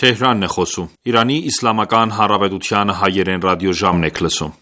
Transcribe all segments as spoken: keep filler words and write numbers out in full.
Թեհրանն է խոսում։ Իրանի Իսլամական Հանրապետության հայերեն ռադիոժամն եք լսում։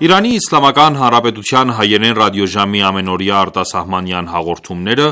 Իրանի Իսլամական Հանրապետության հայերեն ռադիոժամի ամենօրյա արտասահմանյան հաղորդումները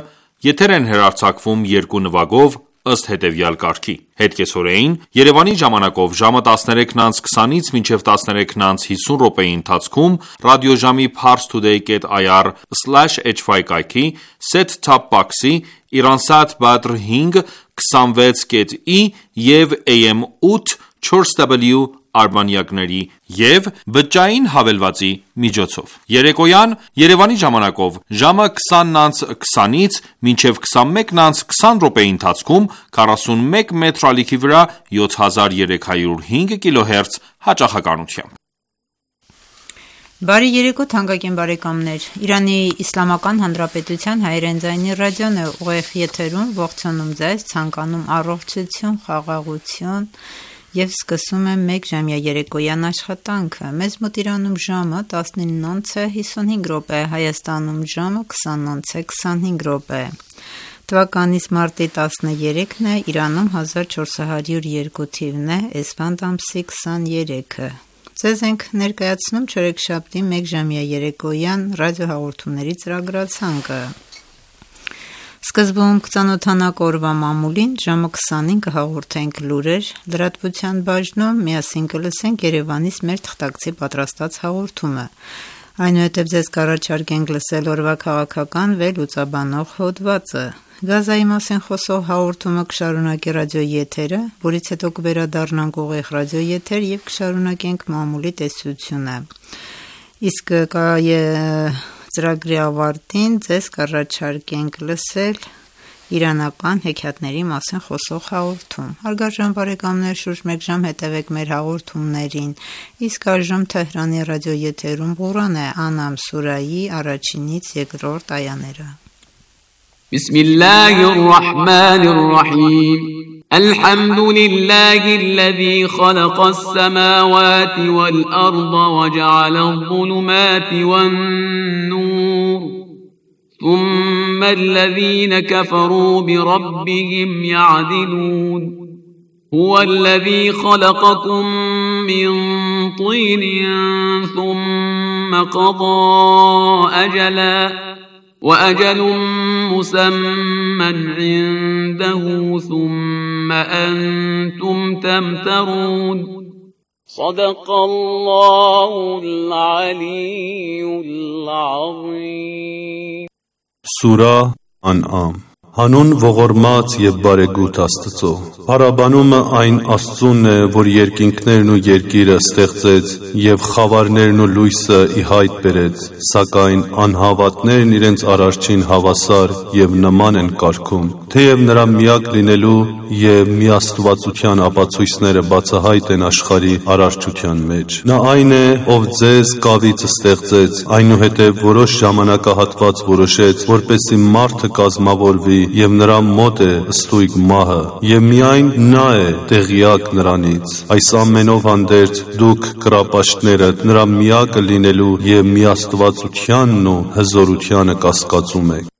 եթեր են հեռարձակվում երկու նվագով ըստ հետևյալ կարգի. Հետկեսօրեին Երևանի ժամանակով ժամը տասներեքն անց քսանից մինչև տասներեքն անց հիսուն րոպեի ընթացքում ռադիոժամի parstoday dot i r slash h five կայքի set-top box-ի Iransat Badr հինգ քսանվեց կետ ի և A M ութ չորս W արբանյակների և բջջային հավելվածի միջոցով։ Երեկոյան Երևանի ժամանակով ժամը քսանն անց քսանից մինչև քսանմեկն անց քսան րոպեի ընթացքում քառասունմեկ մետր ալիքի վրա յոթ հազար երեք հարյուր հինգ կիլոհերց հաճախականությամբ։ Բարի երեկո թանկագին բարեկամներ, Իրանի Իսլամական Հանրապետության հայերեն ձայնի ռադիոն է ուղիղ եթերում, ողջունում ձեզ, ցանկանում առողջություն, խաղաղություն և սկսում եմ մեկ ժամյա երեկոյան աշխատանքը։ Մեզ մոտ Իրանում ժամը տասնինն անց է հիսունհինգ րոպե, Հայաստանում ժամը քսանն անց է քսանհինգ րոպե։ Թվականից մարտի տասներեքն է, Իրանում հազար չորս հարյուր երկու թիվն է, Էսֆանդ ամսի քսաներեքը։ Ձեզ ենք ներկայացնում չորեքշաբթի մեկ ժամյա երեկոյան ռադիոհաղորդումների ծրագրացանկը։ Սկզբում կծանոթանանք օրվա մամուլին, ժամը քսանին կհաղորդենք լուրեր, լրատվության բաժնում միասին կլսենք Երևանից մեր թղթակցի պատրաստած հաղորդումը։ Այնուհետև ձեզ կառաջարկենք լսել օրվա քաղաքական վերլուծաբանող հոդվածը։ Գազայի մասին խոսող հաղորդումը կշարունակի ռադիոեթերը, որից հետո կվերադառնանք ուղիղ ռադիոեթեր և կշարունակենք մամուլի տեսությունը։ Իսկ ծրագրի ավարտին ձեզ կառաջարկենք լսել իրանական հեքիաթների մասին խոսող հաղորդում։ Հարգարժան բարեկամներ, շուրջ մեկ ժամ հետևեք մեր հաղորդումներին, իսկ այժմ Թեհրանի ռադիոեթերում Ղուրան է Անամ սուրայի առաջինից երկրորդ այաները։ Բիսմիլլահիր ռահմանիր ռահիմ الحمد لله الذي خلق السماوات والأرض وجعل الظلمات والنور ثم الذين كفروا بربهم يعدلون هو الذي خلقكم من طين ثم قضى أجلا وأجل مسمى عنده ثم أنتم تمترون صدق الله العلي العظيم Սուրա Ան'ամ Հանուն ողորմած և բարեգութ Աստծո Փառաբանումը այն Աստծունն է, որ երկինքներն ու երկիրը ստեղծեց և խավարներն ու լույսը ի հայտ բերեց, սակայն անհավատներն իրենց Արարչին հավասար և նման են կարգում, թեև նրա միակ լինելու և միաստվածության ապացույցները բացահայտ են աշխարհի արարչության մեջ։ Նա այն է, ով ձեզ կավից ստեղծեց, այնուհետև որոշ ժամանակահատված որոշեց, որպեսզի մարդը կազմավորվի և նրա մոտ է ստույգ մահը, և միայն նա է տեղյակ նրանից։ Այս ամենով հանդերձ դուք կռապաշտներդ նրա միակը լինելու և միաստվածությանն ու հզորությանը կասկածում եք։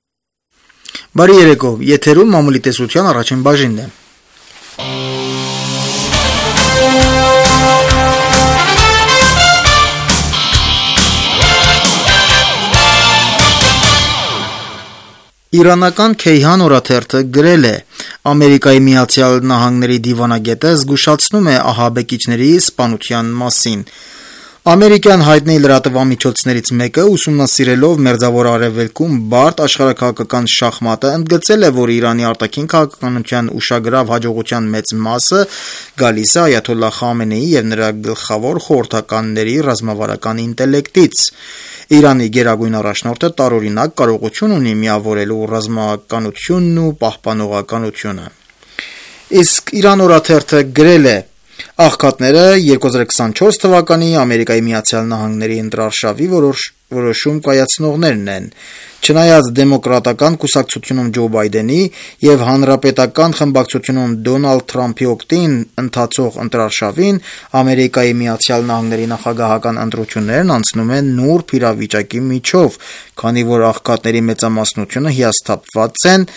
Բարի երեկո, եթերում մամուլի տեսության առաջին բաժինն է։ Իրանական Քեյհան օրաթերթը գրել է. Ամերիկայի Միացյալ Նահանգների դիվանագետը զգուշացնում է ահաբեկիչների սպանության մասին։ Ամերիկյան հայտնի լրատվամիջոցներից մեկը ուսումնասիրելով Մերձավոր Արևելքում բարդ աշխարհաքաղաքական շախմատը ընդգծել է, որ Իրանի արտաքին քաղաքականության ուշագրավ հաջողության մեծ մասը գալիս է Այաթոլլահ Խամենեիի եւ նրա գլխավոր խորհրդականների ռազմավարական ինտելեկտից։ Իրանի գերագույն առաջնորդը տարօրինակ կարողություն ունի միավորելու ռազմականությունն ու պահպանողականությունը։ Իսկ Իրան օրաթերթը գրել է. Աղքատները երկու հազար քսանչորս թվականի Ամերիկայի Միացյալ Նահանգների ընտրարշավի որոշ, որոշում կայացնողներն են։ Չնայած դեմոկրատական կուսակցությունում Ջո Բայդենի եւ հանրապետական խմբակցությունում Դոնալդ Թրամփի օգտին ընթացող ընտրարշավին Ամերիկայի Միացյալ Նահանգների նախագահական ընտրություններն անցնում են նուրբ իրավիճակի միջով, քանի որ աղքատների մեծամասնությունը հիասթափված են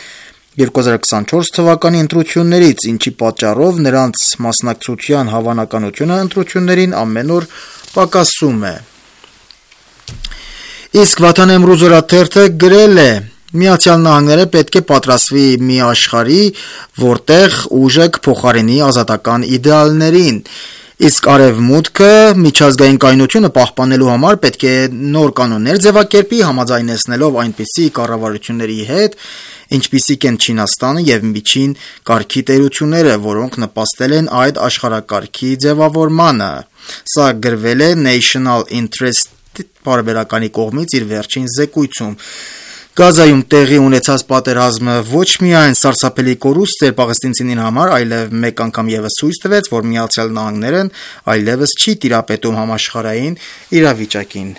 երկու հազար քսանչորս թվականի ընտրություններից, ինչի պատճառով նրանց մասնակցության հավանականությունը ընտրություններին ամեն օր պակասում է։ Իսկ Վաթան Էմրուզ օրաթերթը գրել է. Միացյալ Նահանգները պետք է պատրաստվի մի աշխարհի, որտեղ ուժը կփոխարինի ազատական իդեալներին, իսկ Արևմուտքը միջազգային կայունությունը պահպանելու համար պետք է նոր կանոններ ձևակերպի, համաձայնեցնելով այնպիսի կառավարությունների հետ, ինչպիսիք են Չինաստանը եւ միջին կարգի տերությունները, որոնք նպաստել են այդ աշխարհակարգի ձևավորմանը։ Սա գրվել է National Interest պարբերականի կողմից իր վերջին զեկույցում։ Գազայում տեղի ունեցած պատերազմը ոչ միայն սարսափելի կորուստ էր պաղեստինցիների համար, այլև մեկ անգամ եւս ցույց տվեց, որ Միացյալ Նահանգներն այլևս չի տիրապետում համաշխարհային իրավիճակին։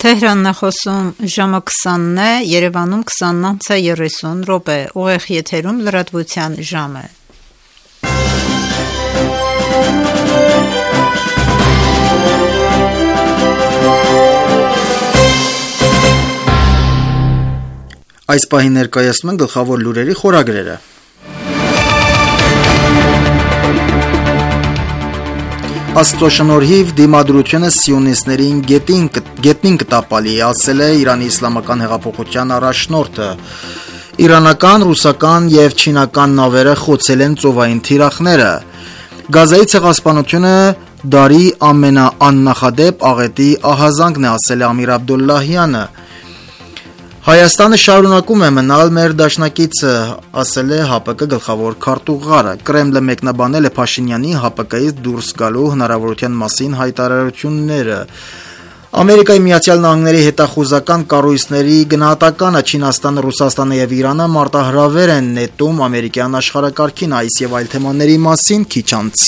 Թեհրանն է խոսում ժամը քսանն է, Երևանում քսանն անց է երեսուն րոպե, ուղիղ եթերում լրատվության ժամը։ Այս պահին ներկայացնում են գլխավոր լուրերի խորագրերը։ Աստծո շնորհիվ դիմադրությունը սիոնիստներին գետին, գետնին կտապալի, ասել է Իրանի իսլամական հեղափոխության առաջնորդը։ Իրանական, ռուսական եւ չինական նավերը խոցել են ծովային թիրախները։ Գազայի ցեղասպանությունը դարի ամենաաննախադեպ աղետի ահազանգն է, ասել է Ամիր Աբդոլլահյանը։ Հայաստանը շարունակում է մնալ մեր դաշնակիցը, ասել է ՀԱՊԿ գլխավոր քարտուղարը։ Կրեմլը մեկնաբանել է Փաշինյանի ՀԱՊԿ-ից դուրս գալու հնարավորության մասին հայտարարությունները։ Ամերիկայի Միացյալ Նահանգների հետախուզական կառույցների գնահատականը Չինաստանը, Ռուսաստանը եւ Իրանը մարտահրավեր են նետում ամերիկյան աշխարհակարգին, այս եւ այլ թեմաների մասին քիչ անց։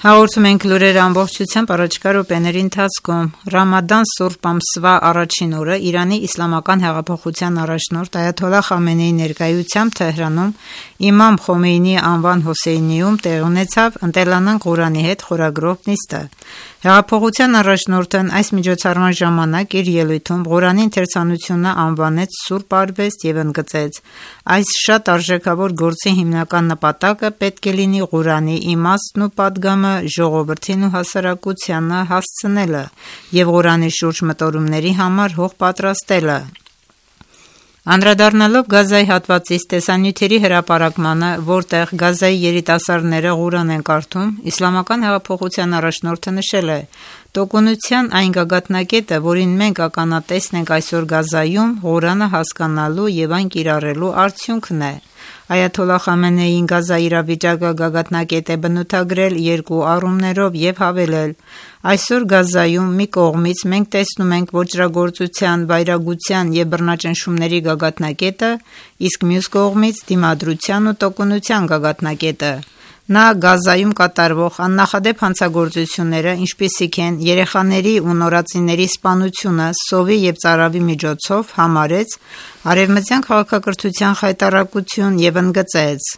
Հաղորդում ենք լուրերը ամբողջությամբ առաջկա րոպեների ընթացքում։ Ռամադան սուրբ ամսվա առաջին օրը Իրանի իսլամական հեղափոխության առաջնորդ Այաթոլլահ Խամենեիի ներկայությամբ Թեհրանում Իմամ Խոմեյնիի անվան Հոսեյնիում տեղի ունեցավ «Ընտելանանք Ղուրանի հետ» խորագրով նիստը։ Հեղափոխության առաջնորդն այս միջոցառման ժամանակ իր ելույթում Ղուրանի ընթերցանությունը անվանեց սուրբ արվեստ եւ ընդգծեց. այս շատ արժեքավոր գործի հիմնական նպատակը պետք է լինի Ղուրանի իմաստն ու պատգամը ժողովրդին ու հասարակությանը հասցնելը եւ Ղուրանի շուրջ մտորումների համար հող պատրաստելը։ Անդրադառնալով Գազայի հատվածից տեսանյութերի հրապարակմանը, որտեղ Գազայի երիտասարդները Ղուրան են կարդում, իսլամական հեղափոխության առաջնորդը նշել է. «Տոկունության այն գագաթնակետը, որին մենք ականատեսն ենք այսօր Գազայում, Ղուրանը հասկանալու եւ այն կիրառելու արդյունքն է»։ Այաթոլլահ Խամենեին Գազայի իրավիճակը գագաթնակետ է բնութագրել երկու առումներով եւ հավելել. «Այսօր Գազայում մի կողմից մենք տեսնում ենք ոճրագործության, վայրագության եւ բռնաճնշումների գագաթնակետը, իսկ մյուս կողմից դիմադրության ու տոկունության գագաթնակետը»։ Նա Գազայում կատարվող աննախադեպ հանցագործությունները, ինչպիսիք են երեխաների ու նորածինների սպանությունը սովի եւ ծարավի միջոցով, համարեց արևմտյան քաղաքակրթության խայտառակություն եւ ընդգծեց.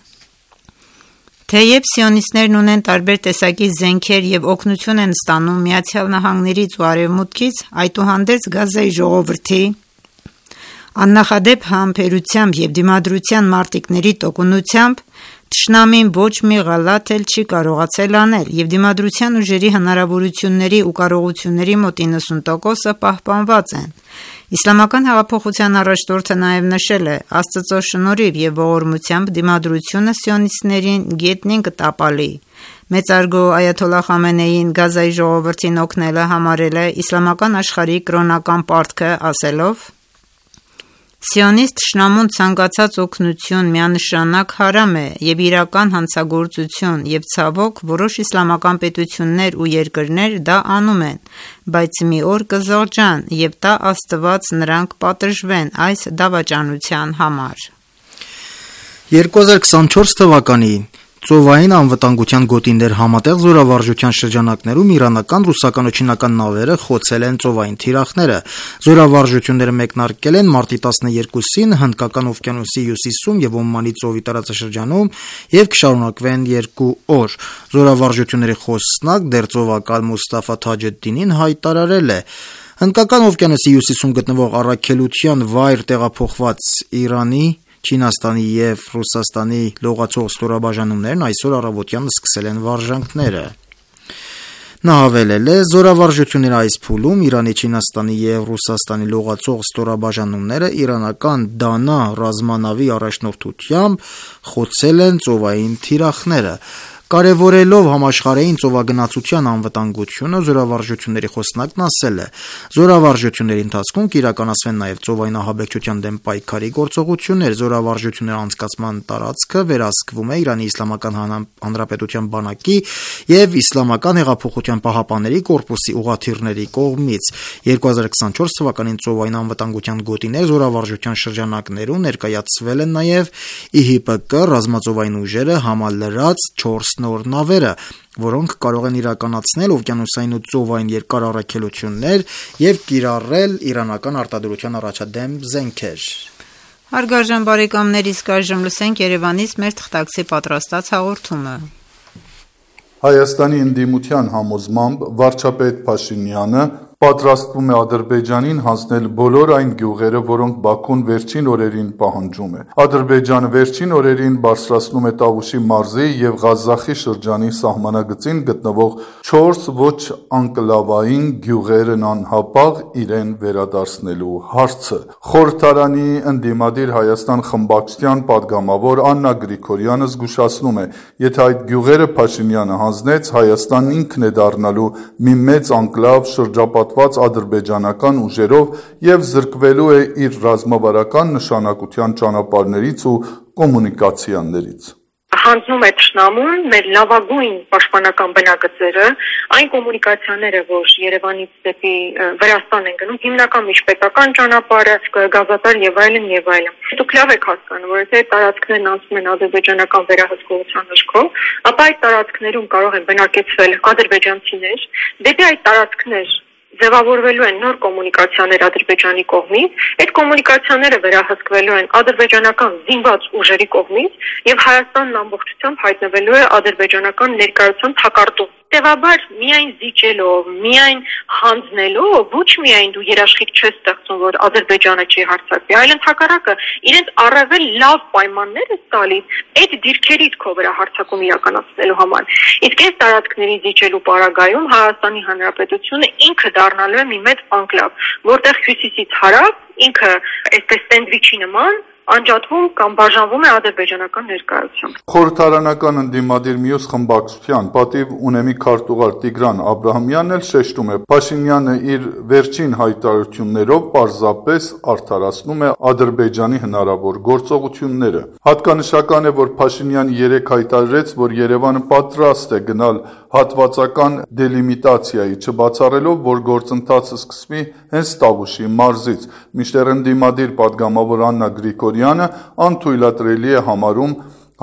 Թեև սիոնիստներն ունեն տարբեր տեսակի զենքեր եւ օգնություն են ստանում Միացյալ Նահանգներից ու Արևմուտքից, այդուհանդերձ Գազայի ժողովրդի աննախադեպ համբերությամբ եւ դիմադրության մարտիկների տոկունությամբ Թշնամին ոչ մի ղալաթ էլ չի կարողացել անել եւ դիմադրության ուժերի հնարավորությունների ու կարողությունների մոտ իննսուն տոկոսը պահպանված են։ Իսլամական հեղափոխության առաջնորդը նաեւ նշել է. Աստծո շնորհիվ եւ ողորմությամբ դիմադրությունը սիոնիստներին գետնին կտապալի։ Մեծարգո Այաթոլլահ Խամենեին Գազայի ժողովրդին օգնելը համարել է իսլամական աշխարհի կրոնական պարտքը, ասելով. Սիոնիստ թշնամուն ցանկացած օգնություն միանշանակ հարամ է եւ իրական հանցագործություն եւ ցավոք որոշ իսլամական պետություններ ու երկրներ դա անում են, բայց մի օր կզղջան եւ տա Աստված նրանք պատժվեն այս դավաճանության համար։ երկու հազար քսանչորս թվականին ծովային անվտանգության գոտիներ համատեղ զորավարժության շրջանակներում իրանական, ռուսական ու չինական նավերը խոցել են ծովային թիրախները։ Զորավարժությունները մեկնարկել են մարտի տասներկուսին Հնդկական օվկիանոսի հյուսիսում եւ Օմանի ծովի տարածաշրջանում եւ կշարունակվեն երկու օր։ Զորավարժությունների խոսնակ դերձողակալ Մուստաֆա Թաջեդդինին հայտարարել է. Հնդկական օվկիանոսի հյուսիսում գտնվող առաքելության վայր տեղափոխված Իրանի, Չինաստանի եւ Ռուսաստանի լողացող ստորաբաժանումներն այսօր առավոտյան սկսել են վարժանքները։ Նա հավելել է. զորավարժությունների այս փուլում Իրանի, Չինաստանի եւ Ռուսաստանի լողացող ստորաբաժանումները իրանական Դանա ռազմանավի առաջնորդությամբ խոցել են ծովային թիրախները։ Կարևորելով համաշխարհային ծովագնացության անվտանգությունը, զորավարժությունների խոսնակն ասել է. զորավարժությունների ընթացքում կիրականացվեն նաև ծովային ահաբեկչության դեմ պայքարի գործողություններ, զորավարժությունների անցկացման տարածքը վերահսկվում է Իրանի Իսլամական Հանրապետության բանակի եւ Իսլամական հեղափոխության պահապանների կորպուսի ուղղաթիռների կողմից։ երկու հազար քսանչորս թվականին ծովային անվտանգության գոտիներ զորավարժության շրջանակներում ներկայացվել են նաև ի հի պի կը ռազմածովային ուժերը համալրած չորս նոր նավերը, որոնք կարող են իրականացնել օվկիանոսային ու ծովային երկար առաքելություններ եւ կիրառել իրանական արտադրության առաջադեմ զենքեր։ Հարգարժան բարեկամներ, իսկ այժմ լսենք Երևանից մեր թղթակցի պատրաստած հաղորդումը։ Հայաստանի ընդդիմության համոզմամբ վարչապետ Փաշինյանը պատրաստվում է Ադրբեջանին հանձնել բոլոր այն գյուղերը, որոնք Բաքուն վերջին օրերին պահանջում է։ Ադրբեջանը վերջին օրերին բարձրացնում է Տավուշի մարզի եւ Ղազախի շրջանի սահմանագծին գտնվող չորս ոչ անկլավային գյուղերն անհապաղ իրեն վերադարձնելու հարցը։ Խորհրդարանի ընդդիմադիր Հայաստան խմբակցության падգամավոր Աննա Գրիգորյանը զգուշացնում է, եթե այդ գյուղերը Փաշինյանը հանձնեց, Հայաստանն ինքն է դառնալու մի մեծ անկլավ շրջապատ ադրբեջանական ուժերով եւ զրկվելու է իր ռազմավարական նշանակության ճանապարհներից ու կոմունիկացիաներից։ Հանձնում է թշնամուն մեր լավագույն պաշտպանական բնագծերը, այն կոմունիկացիաները, որ Երևանից դեպի Վրաստան են գնում, հիմնական միջպետական ճանապարհը, գազատար եւ այլն եւ այլն։ Դուք լավ եք հասկանում, որ եթե տարածքներն անցնում են ադրբեջանական վերահսկողության դաշտով, ապա այդ տարածքներում կարող են բնակեցվել ադրբեջանցիներ, դեպի այդ տարածքներ ձևավորվելու են նոր կոմունիկացիաներ Ադրբեջանի կողմից, այդ կոմունիկացիաները վերահսկվելու են ադրբեջանական զինված ուժերի կողմից եւ Հայաստանն ամբողջությամբ հայտնվելու է ադրբեջանական ներկայության թակարդում։ Տևաբար միայն զիջելով, միայն հանձնելով ոչ միայն դու երաշխիք չես ստեղծում, որ Ադրբեջանը չի հարձակվի, այլ ընդհակառակը իրենց առավել լավ պայմաններ է տալիս այդ դիրքերից քո վրա հարձակում իրականացնելու համար։ Իսկ այս տարածքների զիջելու պարագայում Հայաստանի Հանրապետությունը ինքը դառնալու է մի մեծ անկլավ, որտեղ հյուսիսից հարավ ինքը այսպես սենդվիչի նման անջատվում կամ բաժանվում է ադրբեջանական ներկայությամբ։ Խորհրդարանական ընդդիմադիր մյուս խմբակցության պատիվ ունեմի քարտուղար Տիգրան Աբրահամյանն էլ շեշտում է, Փաշինյանը իր վերջին հայտարարություններով պարզապես արդարացնում է Ադրբեջանի հնարավոր գործողությունները։ Հատկանշական է, որ Փաշինյանը երեկ հայտարարեց, որ Երևանը պատրաստ է գնալ հատվածական դելիմիտացիայի, չբացառելով, որ գործընթացը սկսվի հենց Տավուշի մարզից, մինչդեռ ընդդիմադիր падգամավոր Աննա Գրիգորյանը անթույլատրելի է համարում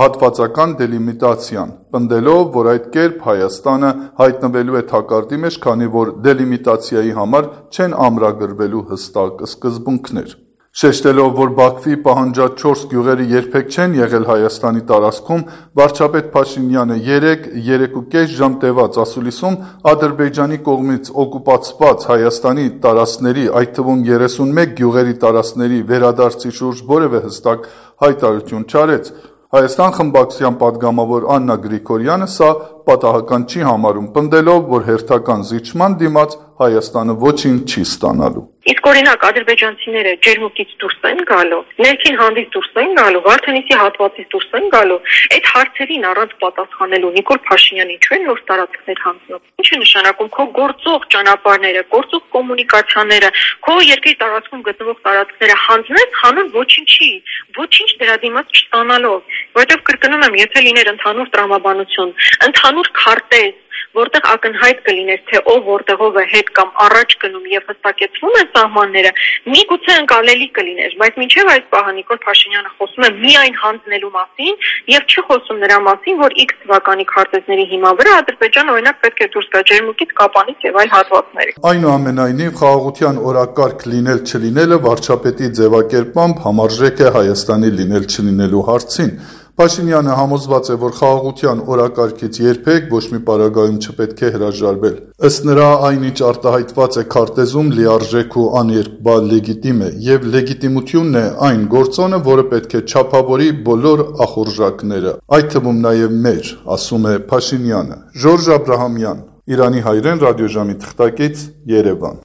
հատվածական դելիմիտացիան, պնդելով, որ այդ կերպ Հայաստանը հայտնվելու է թակարդի մեջ, քանի որ դելիմիտացիայի համար չեն ամրագրվելու հստակ սկզբունքներ։ Շեշտելով, որ Բաքվի պահանջած չորս գյուղերը երբեք չեն եղել Հայաստանի տարածքում, վարչապետ Փաշինյանը երեկ երեքուկես ժամ տևած ասուլիսում Ադրբեջանի կողմից օկուպացված Հայաստանի տարածքների, այդ թվում երեսունմեկ գյուղերի տարածքների վերադարձի շուրջ որևէ հստակ հայտարարություն չարեց։ Հայաստան խմբակցության պատգամավոր Աննա Գրիգորյանը սա պատահական չի համարում, պնդելով, որ հերթական զիջման դիմաց Հայաստանը ոչինչ չի ստանալու։ Իսկ օրինակ ադրբեջանցիները ջերմուկից դուրս են գալու, ներքին հանդից դուրս են գալու, Վարդենիսի հատվածից դուրս են գալու, այդ հարցերին առանց պատասխանելու Նիկոլ Փաշինյանը ինչու են նոր տարածքներ հանձնում։ Ինչ է նշանակում քո գործող ճանապարհները, գործող կոմունիկացիաները, քո երկրի տարածքում գտնվող տարածքները հանձնես, հանուն ոչինչի, ոչինչ դրա դիմաց չստանալով, որովհետև կրկնում եմ, եթե լիներ ընդհանուր տրամաբանություն, ընդհանուր քարտեզ, որտեղ ակնհայտ կլիներ, թե ով որտեղով է հետ կամ առաջ գնում եւ հստակեցվում են սահմանները, միգուցե ընկալելի կլիներ, բայց մինչեւ այս պահը Նիկոլ Փաշինյանը խոսում է միայն հանձնելու մասին եւ չի խոսում նրա մասին, որ X թվականի քարտեզների հիման վրա Ադրբեջանը օրինակ պետք է դուրս գա ջերմուկից, Կապանից եւ այլ հատվածներից։ Այնուամենայնիվ, խաղաղության օրակարգ լինել չլինելը վարչապետի ձևակերպմամբ համարժեք է Հայաստանի լինել չլինելու հարցին։ Փաշինյանը համոզված է, որ խաղաղության օրակարգից երբեք ոչ մի պարագայում չպետք է հրաժարվել։ Ըստ նրա, այնինչ արտահայտված է քարտեզում լիարժեք ու աներկբալ լեգիտիմ է, եւ լեգիտիմությունն է այն գործոնը, որը պետք է չափավորի բոլոր ախորժակները, այդ թվում նաեւ մեր, ասում է Փաշինյանը։ Ժորժ Աբրահամյան, Իրանի հայրեն ռադիոժամի թղթակից, Երևան։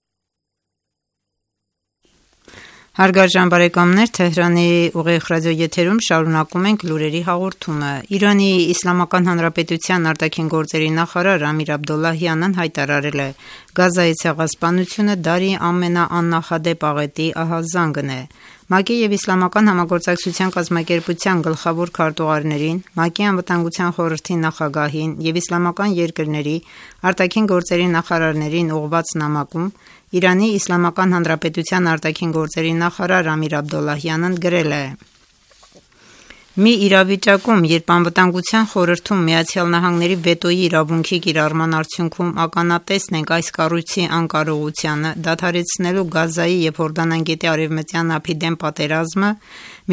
Հարգարժան բարեկամներ, Թեհրանի ուղիղ ռադիոեթերում շարունակում ենք լուրերի հաղորդումը։ Իրանի Իսլամական Հանրապետության արտաքին գործերի նախարար Ամիր Աբդոլլահյանն հայտարարել է. Գազայի ցեղասպանությունը դարի ամենաաննախադեպ աղետի ահազանգն է։ ՄԱԿ-ի եւ Իսլամական համագործակցության կազմակերպության գլխավոր քարտուղարներին, ՄԱԿ-ի անվտանգության խորհրդի նախագահին եւ իսլամական երկրների արտաքին գործերի նախարարներին ուղղված նամակում Իրանի Իսլամական Հանրապետության արտաքին գործերի նախարար Ամիր Աբդոլլահյանն գրել է. Մի իրավիճակում, երբ անվտանգության խորհրդում Միացյալ Նահանգների վետոյի իրավունքի կիրառման արդյունքում ականատեսն ենք այս կառույցի անկարողությանը դադարեցնելու Գազայի եւ Հորդանան գետի արևմտյան ափի դեմ պատերազմը,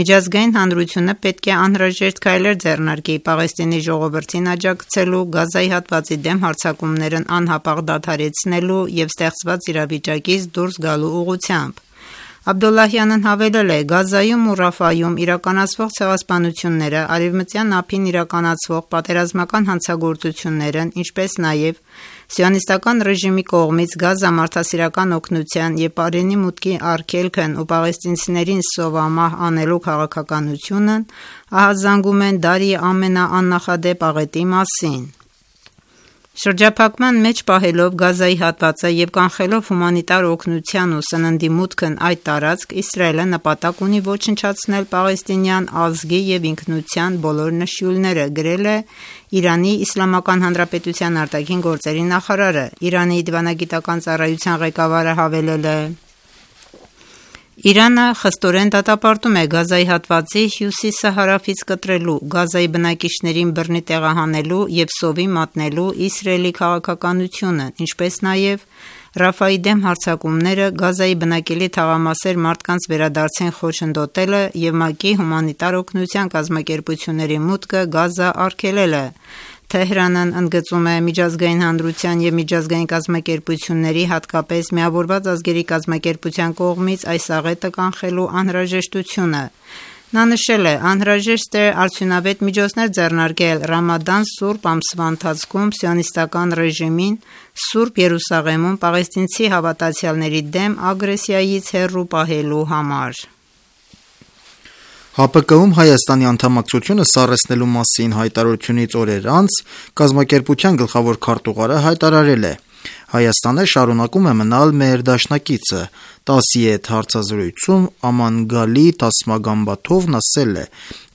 միջազգային հանրությունը պետք է անհրաժեշտ քայլեր ձեռնարկի Պաղեստինի ժողովրդին աջակցելու, Գազայի հատվածի դեմ հարձակումներն անհապաղ դադարեցնելու եւ ստեղծված իրավիճակից դուրս գալու ուղղությամբ։ Աբդոլլահյանն հավելել է. Գազայում ու Ռաֆայում իրականացվող ցեղասպանությունները, արևմտյան ափին իրականացվող պատերազմական հանցագործություններն, ինչպես նաև սիոնիստական ռեժիմի կողմից Գազա մարդասիրական օգնության եւ Պարենի մուտքի արգելքն ու պաղեստինցիներին սովամահ անելու քաղաքականությունն ահազանգում են դարի ամենաաննախադեպ աղետի մասին։ Շրջափակման մեջ պահելով Գազայի հատվածը եւ կանխելով հումանիտար օգնության ու սննդի մուտքն այդ տարածք, Իսրայելը նպատակ ունի ոչնչացնել պաղեստինյան ազգի եւ ինքնության բոլոր նշույլները, գրել է Իրանի Իսլամական Հանրապետության արտաքին գործերի նախարարը։ Իրանի դիվանագիտական ծառայության ղեկավարը հավելել է. Իրանը խստորեն դատապարտում է Գազայի հատվածի հյուսիսը հարավից կտրելու, Գազայի բնակիչներին բռնի տեղահանելու եւ սովի մատնելու Իսրայելի քաղաքականությունը, ինչպես նաեւ Ռաֆայի դեմ հարձակումները, Գազայի բնակելի թաղամասեր մարդկանց վերադարձին խոչընդոտելը եւ ՄԱԿ-ի հումանիտար օգնության կազմակերպությունների մուտքը Գազա արգելելը։ Թեհրանն ընդգծում է միջազգային հանրության եւ միջազգային կազմակերպությունների, հատկապես Միավորված ազգերի կազմակերպության կողմից այս աղետը կանխելու անհրաժեշտությունը։ Նա նշել է, անհրաժեշտ է արդյունավետ միջոցներ ձեռնարկել Ռամադան սուրբ ամսվա ընթացքում սիոնիստական ռեժիմին Սուրբ Երուսաղեմում պաղեստինցի հավատացյալների դեմ ագրեսիայից հեռու պահելու համար։ ՀԱՊԿ-ում Հայաստանի անդամակցությունը սառեցնելու մասին հայտարարությունից օրեր անց կազմակերպության գլխավոր քարտուղարը հայտարարել է. Հայաստանը շարունակում է մնալ մեր դաշնակիցը։ ՏԱՍ-ի հետ հարցազրույցում Աման Գալի Տասմագամբաթովն ասել է.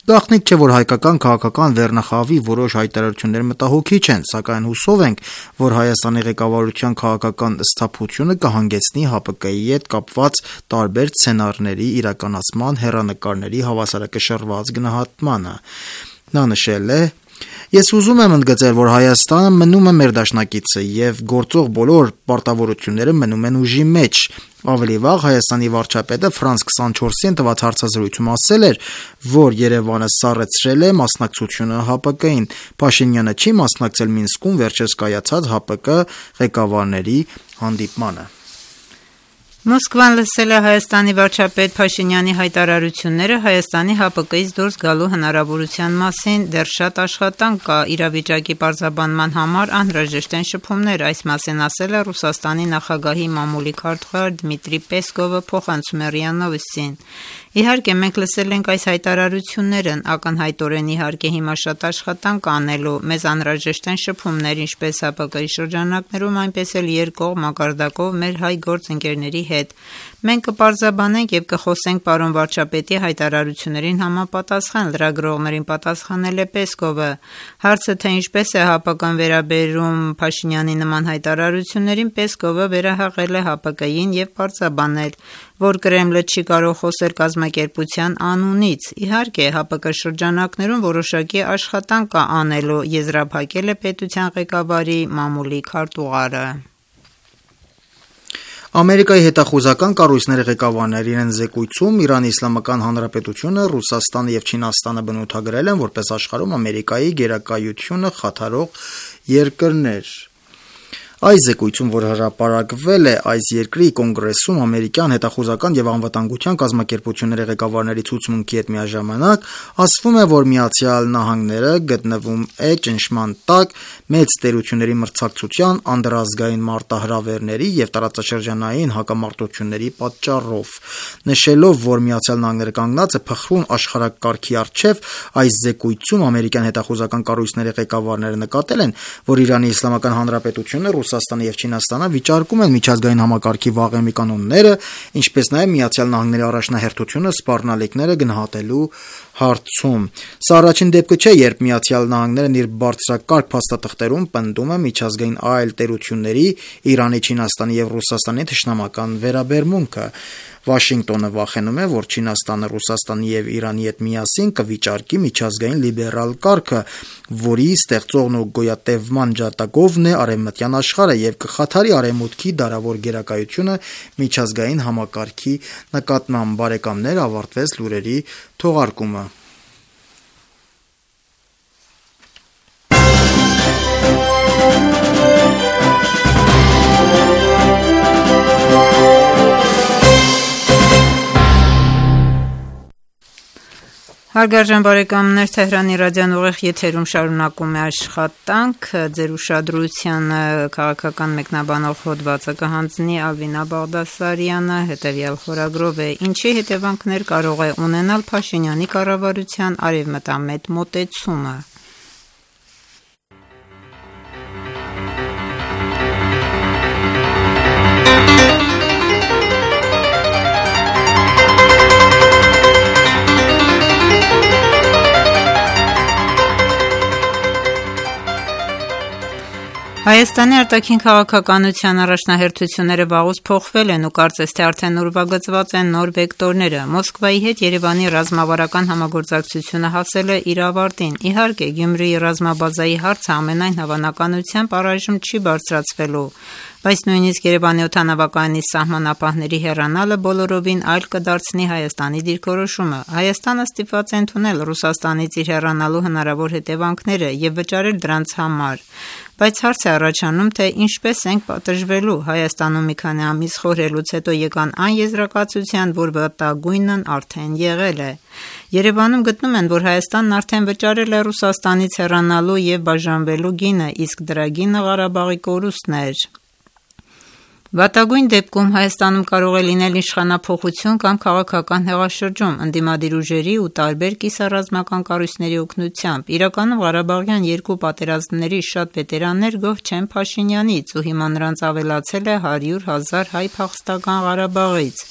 Գաղտնիք չէ, որ հայկական քաղաքական վերնախավի որոշ հայտարարություններ մտահոգիչ են, սակայն հուսով ենք, որ Հայաստանի ղեկավարության քաղաքական սթափությունը կհանգեցնի ՀԱՊԿ-ի հետ կապված տարբեր սցենարների իրականացման հեռանկարների հավասարակշռված գնահատմանը։ Նա նշել է. Ես ուզում եմ ընդգծել, որ Հայաստանը մնում է մեր դաշնակիցը եւ գործող բոլոր պարտավորությունները մնում են ուժի մեջ։ Ավելի վաղ Հայաստանի վարչապետը Ֆրանս քսանչորսին տված հարցազրույցում ասել էր, որ Երևանը սառեցրել է մասնակցությունը ՀԱՊԿ-ին։ Փաշինյանը չի մասնակցել Մինսկում վերջերս կայացած ՀԱՊԿ ղեկավարների հանդիպմանը։ Մոսկվան լսել է Հայաստանի վարչապետ Փաշինյանի հայտարարությունները Հայաստանի ՀԱՊԿ-ից դուրս գալու հնարավորության մասին, դեռ շատ աշխատանք կա իրավիճակի պարզաբանման համար, անհրաժեշտ են շփումներ, այս մասին ասել է Ռուսաստանի նախագահի մամուլի քարտուղար Դմիտրի Պեսկովը փոխանցում է ՌԻԱ Նովոստին։ Իհարկե, մենք լսել ենք այս հայտարարություններն, ակնհայտորեն իհարկե հիմա շատ աշխատանք կա անելու, մեզ անհրաժեշտ են շփումներ, ինչպես ՀԱՊԿ-ի շրջանակներում, այնպես էլ երկկողմ մակարդակով մեր հայ գործընկերների հետ։ Մենք կպարզաբանենք եւ կխոսենք պարոն վարչապետի հայտարարություններին համապատասխան, լրագրողներին պատասխանել է Պեսկովը։ Հարցը թե ինչպես է ՀԱՊԿ-ն վերաբերում Փաշինյանի նման հայտարարություններին, Պեսկովը վերահաղել է ՀԱՊԿ-ին եւ պարզաբանել, որ Կրեմլը չի կարող խոսել կազմակերպության անունից։ Իհարկե, ՀԱՊԿ շրջանակներում որոշակի աշխատանք կա անելու, եզրափակել է պետության ղեկավարի մամուլի քարտուղարը։ Ամերիկայի հետախուզական կառույցների ղեկավարներին են զեկույցում Իրանի Իսլամական Հանրապետությունը, Ռուսաստանը եւ Չինաստանը բնութագրել են որպես աշխարհում Ամերիկայի գերակայությունը խաթարող երկրներ։ Այս զեկույցում, որ հրապարակվել է այս երկրի կոնգրեսում ամերիկյան հետախուզական եւ անվտանգության կազմակերպությունների ղեկավարների ցուցմունքի հետ միաժամանակ, ասվում է, որ Միացյալ Նահանգները գտնվում է ճնշման տակ մեծ տերությունների մրցակցության, անդրազգային մարտահրավերների եւ տարածաշրջանային հակամարտությունների պատճառով։ Նշելով, որ Միացյալ Նահանգները կանգնած է փխրուն աշխարհակարգի առջև, այս զեկույցում ամերիկյան հետախուզական կառույցների ղեկավարները նկատել են, որ Իրանի Իսլամական Հանրապետությունը, Ռուսաստանը եւ Չինաստանը վիճարկում են միջազգային համակարգի վաղեմի կանոնները, ինչպես նաեւ Միացյալ Նահանգների առաջնահերթությունը սպառնալիքները գնահատելու հարցում։ Սա առաջին դեպքը չէ, երբ Միացյալ Նահանգներն իր բարձրակարգ փաստաթղթերում պնդում է միջազգային այլ տերությունների Իրանի, Չինաստանի եւ Ռուսաստանի թշնամական վերաբերմունքը։ Վաշինգտոնը վախենում է, որ Չինաստանը Ռուսաստանի եւ Իրանի հետ միասին կվիճարկի միջազգային լիբերալ կարգը, որի ստեղծողն ու գոյատևման ջատագովն է արևմտյան աշխարհը եւ կխաթարի արևմուտքի դարավոր գերակայությունը միջազգային համակարգի նկատմամբ։ Բարեկամներ, ավարտվեց լուրերի թողարկումը։ Հարգարժան բարեկամներ, Թեհրանի ռադիոն ուղիղ եթերում շարունակում է աշխատանք, ձեր ուշադրությանը քաղաքական մեկնաբանող հոդվածը կհանձնի Ալվինա Բաղդասարյանը, հետևյալ խորագրով է. Ինչի հետևանքներ կարող է ունենալ Փաշինյանի կառավարության արևմտամետ մոտեցումը։ Հայաստանի արտաքին քաղաքականության առաջնահերթությունները վաղուց փոխվել են ու կարծես թե արդեն ուրվագծված են նոր վեկտորները։ Մոսկվայի հետ Երևանի ռազմավարական համագործակցությունը հասել է իր ավարտին։ Իհարկե, Գյումրիի ռազմաբազայի հարցը ամենայն հավանականությամբ առայժմ չի բարձրացվելու, բայց նույնիսկ Երևանի օդանավակայանի սահմանապահների հեռանալը բոլորովին այլ կդարձնի Հայաստանի դիրքորոշումը։ Հայաստանը ստիպված է ընդունել Ռուսաստանից իր հեռանալու հնարավոր հետևանքները եւ վճարել դրանց համար։ Բայց հարց է առաջանում, թե ինչպես ենք պատժվելու։ Հայաստանում մի քանի ամիս խորհելուց հետո եկան այն եզրակացության, որ վտագույնն արդեն եղել է։ Երևանում գտնում են, որ Հայաստանն արդեն վճարել է Ռուսաստանից հեռանալու եւ բաժանվելու գինը, իսկ դրա գինը Ղարաբաղի կորուստն էր։ Վատագույն դեպքում Հայաստանում կարող է լինել իշխանափոխություն կամ քաղաքական հեղաշրջում ընդդիմադիր ուժերի ու տարբեր կիսառազմական կառույցների օգնությամբ։ Իրականում Ղարաբաղյան երկու պատերազմների շատ վետերաններ գոհ չեն Փաշինյանից ու հիմա նրանց ավելացել է հարյուր հազար հայ փախստական Ղարաբաղից։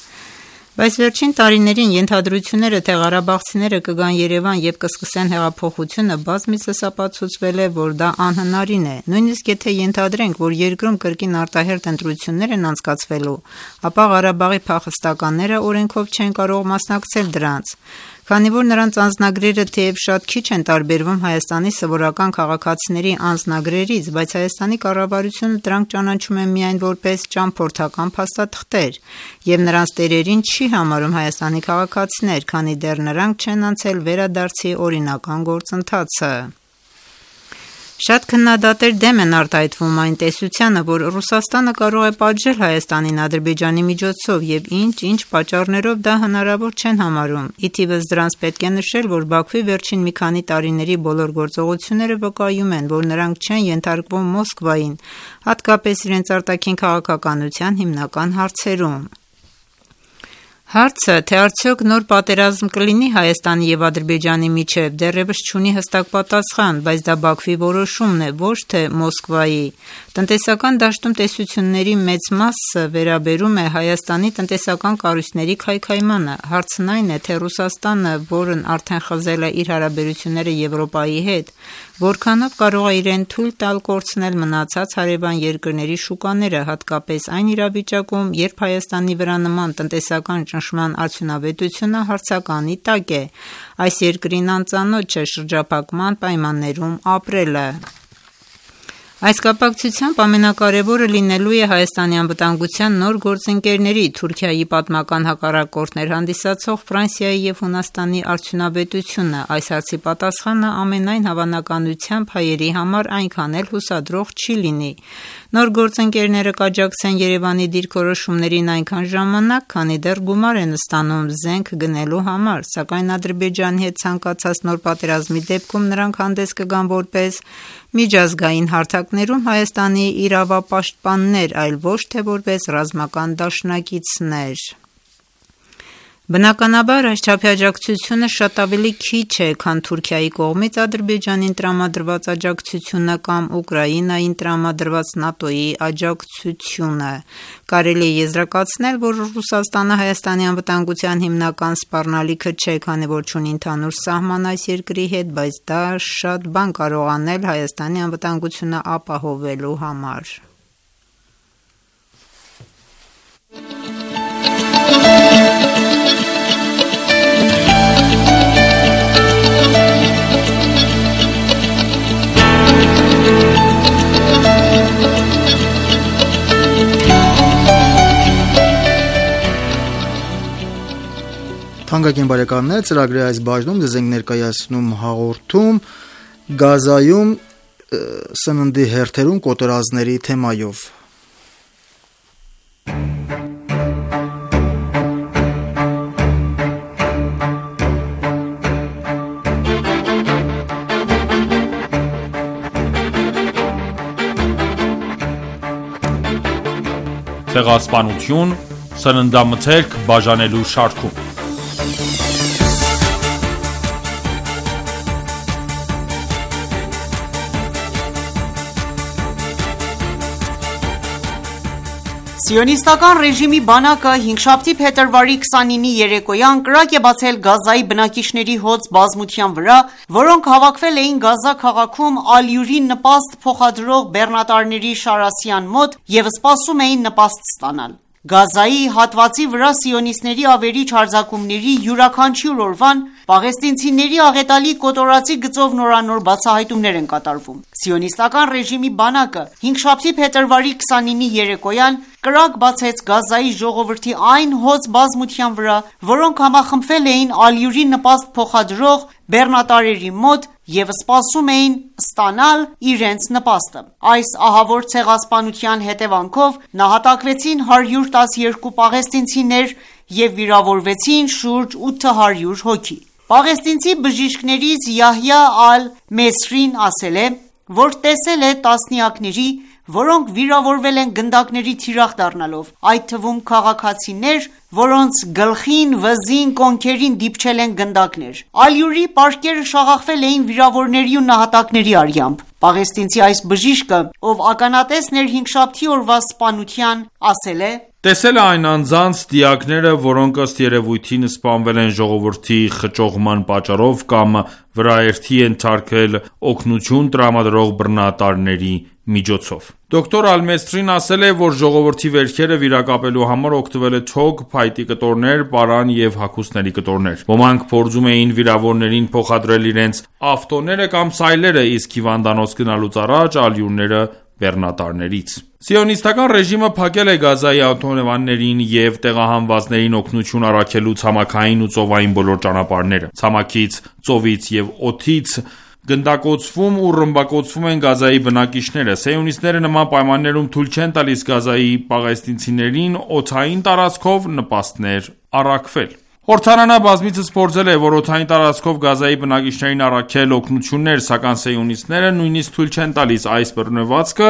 Բայց վերջին տարիներին ենթադրությունները, թե ղարաբաղցիները կգան Երևան եւ կսկսեն հեղափոխությունը, բազմիցս ապացուցվել է, որ դա անհնարին է։ Նույնիսկ եթե ենթադրենք, որ երկրում կրկին արտահերթ ընտրություններ են անցկացվելու, ապա Ղարաբաղի փախստականները օրենքով չեն կարող մասնակցել դրանց։ Քանի որ նրանց անձնագրերը թեև շատ քիչ են տարբերվում Հայաստանի սովորական քաղաքացիների անձնագրերից, բայց Հայաստանի կառավարությունը դրանք ճանաչում է միայն որպես ճամփորդական փաստաթղթեր և նրանց տերերին չի համարում Հայաստանի քաղաքացիներ, քանի դեռ նրանք չեն անցել վերադարձի օրինական գործընթացը։ Շատ քննադատներ դեմ են արտահայտվում այն տեսությանը, որ Ռուսաստանը կարող է պատժել Հայաստանին Ադրբեջանի միջոցով և ինչ-ինչ պատճառներով դա հնարավոր չեն համարում։ Ի թիվս դրանց պետք է նշել, որ Բաքվի վերջին մի քանի տարիների բոլոր գործողությունները վկայում են, որ նրանք չեն ենթարկվում Մոսկվային, հատկապես իրենց արտաքին քաղաքականության հիմնական հարցերում։ Հարցը, թե արդյոք նոր պատերազմ կլինի Հայաստանի և Ադրբեջանի միջև, դեռևս չունի հստակ պատասխան, բայց դա Բաքվի որոշումն է, ոչ թե Մոսկվայի։ Տնտեսական դաշտում տեսությունների մեծ մասը վերաբերում է Հայաստանի տնտեսական կառույցների քայքայմանը։ Հարցն այն է, թե Ռուսաստանը, որն արդեն խզել է իր հարաբերությունները Եվրոպայի հետ, որքանով կարող է իրեն թույլ տալ կորցնել մնացած հարևան երկրների շուկաները, հատկապես այն իրավիճակում, երբ Հայաստանի վրա նման տնտեսական ճնշման արդյունավետությունը հարցականի տակ է, այս երկրին անծանոթ չէ շրջափակման պայմաններում ապրելը։ Այս կապակցությամբ ամենակարևորը լինելու է Հայաստանի անվտանգության նոր գործընկերների՝ Թուրքիայի պատմական հակառակորդներ հանդիսացող Ֆրանսիայի և Հունաստանի արդյունավետությունը։ Այս հարցի պատասխանը ամենայն հավանականությամբ հայերի համար այնքան էլ հուսադրող չի լինի։ Նոր գործընկերները կաջակցեն Երևանի դիրքորոշումներին այնքան ժամանակ, քանի դեռ գումար են ստանում զենք գնելու համար, սակայն Ադրբեջանի հետ ցանկացած նոր պատերազմի դեպքում նրանք հանդես կգան որպես միջազգային հարթակներում Հայաստանի իրավապաշտպաններ, այլ ոչ թե որպես ռազմական դաշնակիցներ։ Բնականաբար այս չափի աջակցությունը շատ ավելի քիչ է, քան Թուրքիայի կողմից Ադրբեջանին տրամադրված աջակցությունը կամ Ուկրաինային տրամադրված ՆԱՏՕ-ի աջակցությունը։ Կարելի է եզրակացնել, որ Ռուսաստանը Հայաստանի անվտանգության հիմնական սպառնալիքը չէ, քանի որ չունի ընդհանուր սահման այս երկրի հետ, բայց դա շատ բան կարող անել Հայաստանի անվտանգությունը ապահովելու համար։ Թանկագին բարեկամներ, ծրագրի այս բաժնում ձեզ ենք ներկայացնում հաղորդում Գազայում սննդի հերթերում կոտորածների թեմայով։ Ցեղասպանություն սննդամթերք բաժանելու շարքում։ Սիոնիստական ռեժիմի բանակը հինգշաբթի փետրվարի քսանինի երեկոյան կրակ է բացել Գազայի բնակիչների հոծ բազմության վրա, որոնք հավաքվել էին Գազա քաղաքում ալյուրին նպաստ փոխադրող բեռնատարների շարասյան մոտ և սպասում էին նպաստ ստանալ։ Գազայի հատվածի վրա սիոնիստների ավերիչ հարձակումների յուրաքանչյուր օրվան պաղեստինցիների աղետալի կոտորածի գծով նորանոր բացահայտումներ են կատարվում։ Սիոնիստական ռեժիմի բանակը հինգշաբթի փետրվարի քսանինի երեկոյան կրակ բացեց Գազայի ժողովրդի այն հոծ բազմության վրա, որոնք համախմբվել էին ալյուրի նպաստ փոխադրող բեռնատարերի մոտ և սպասում էին ստանալ իրենց նպաստը։ Այս ահավոր ցեղասպանության հետևանքով նահատակվեցին հարյուր տասներկու պաղեստինցիներ և վիրավորվեցին շուրջ ութ հարյուր հոգի։ Պաղեստինցի բժիշկներից Յահյա ալ-Մեսրին ասել է, որ տեսել է տասնյակների, որոնք վիրավորվել են գնդակների թիրախ դառնալով, այդ թվում քաղաքացիներ, որոնց գլխին, վզին, կոնքերին դիպչել են գնդակներ։ Ալյուրի պարկերը շաղախվել էին վիրավորների ու նահատակների արյամբ։ Պաղեստինցի այս բժիշկը, ով ականատեսն էր հինգշաբթի օրվա սպանության, ասել է. Տեսել է այն անձանց դիակները, որոնք ըստ երևույթին սպանվել են ժողովրդի խճողման պատճառով կամ վրաերթի ենթարկել օգնություն տրամադրող բռնատարների միջոցով։ Դոկտոր Ալ-Մեսրին ասել է, որ ժողովրդի վերքերը վիրակապելու համար օգտվել է թոք, փայտի կտորներ, պարան և հագուստների կտորներ։ Ոմանք փորձում էին վիրավորներին փոխադրել իրենց ավտոները կամ սայլերը, իսկ հիվանդանոց գնալուց առաջ ալյուրները բեռնատարներից։ Սիոնիստական ռեժիմը փակել է Գազայի ավտոնավաններին և տեղահանվածներին օգնություն առաքելու ցամաքային ու ծովային բոլոր ճանապարհները։ Ցամաքից, ծովից և օդից գնդակոծվում ու ռմբակոծվում են Գազայի բնակիչները։ Սիոնիստները նման պայմաններում թույլ չեն տալիս Գազայի պաղեստինցիներին օդային տարածքով նպաստներ առաքվել։ Օրդանանը բազմիցս փորձել է, որ օդային տարածքով Գազայի բնակիչներին առաքել օգնություններ, սակայն սիոնիստները նույնիսկ թույլ չեն տալիս այս բռնվածքը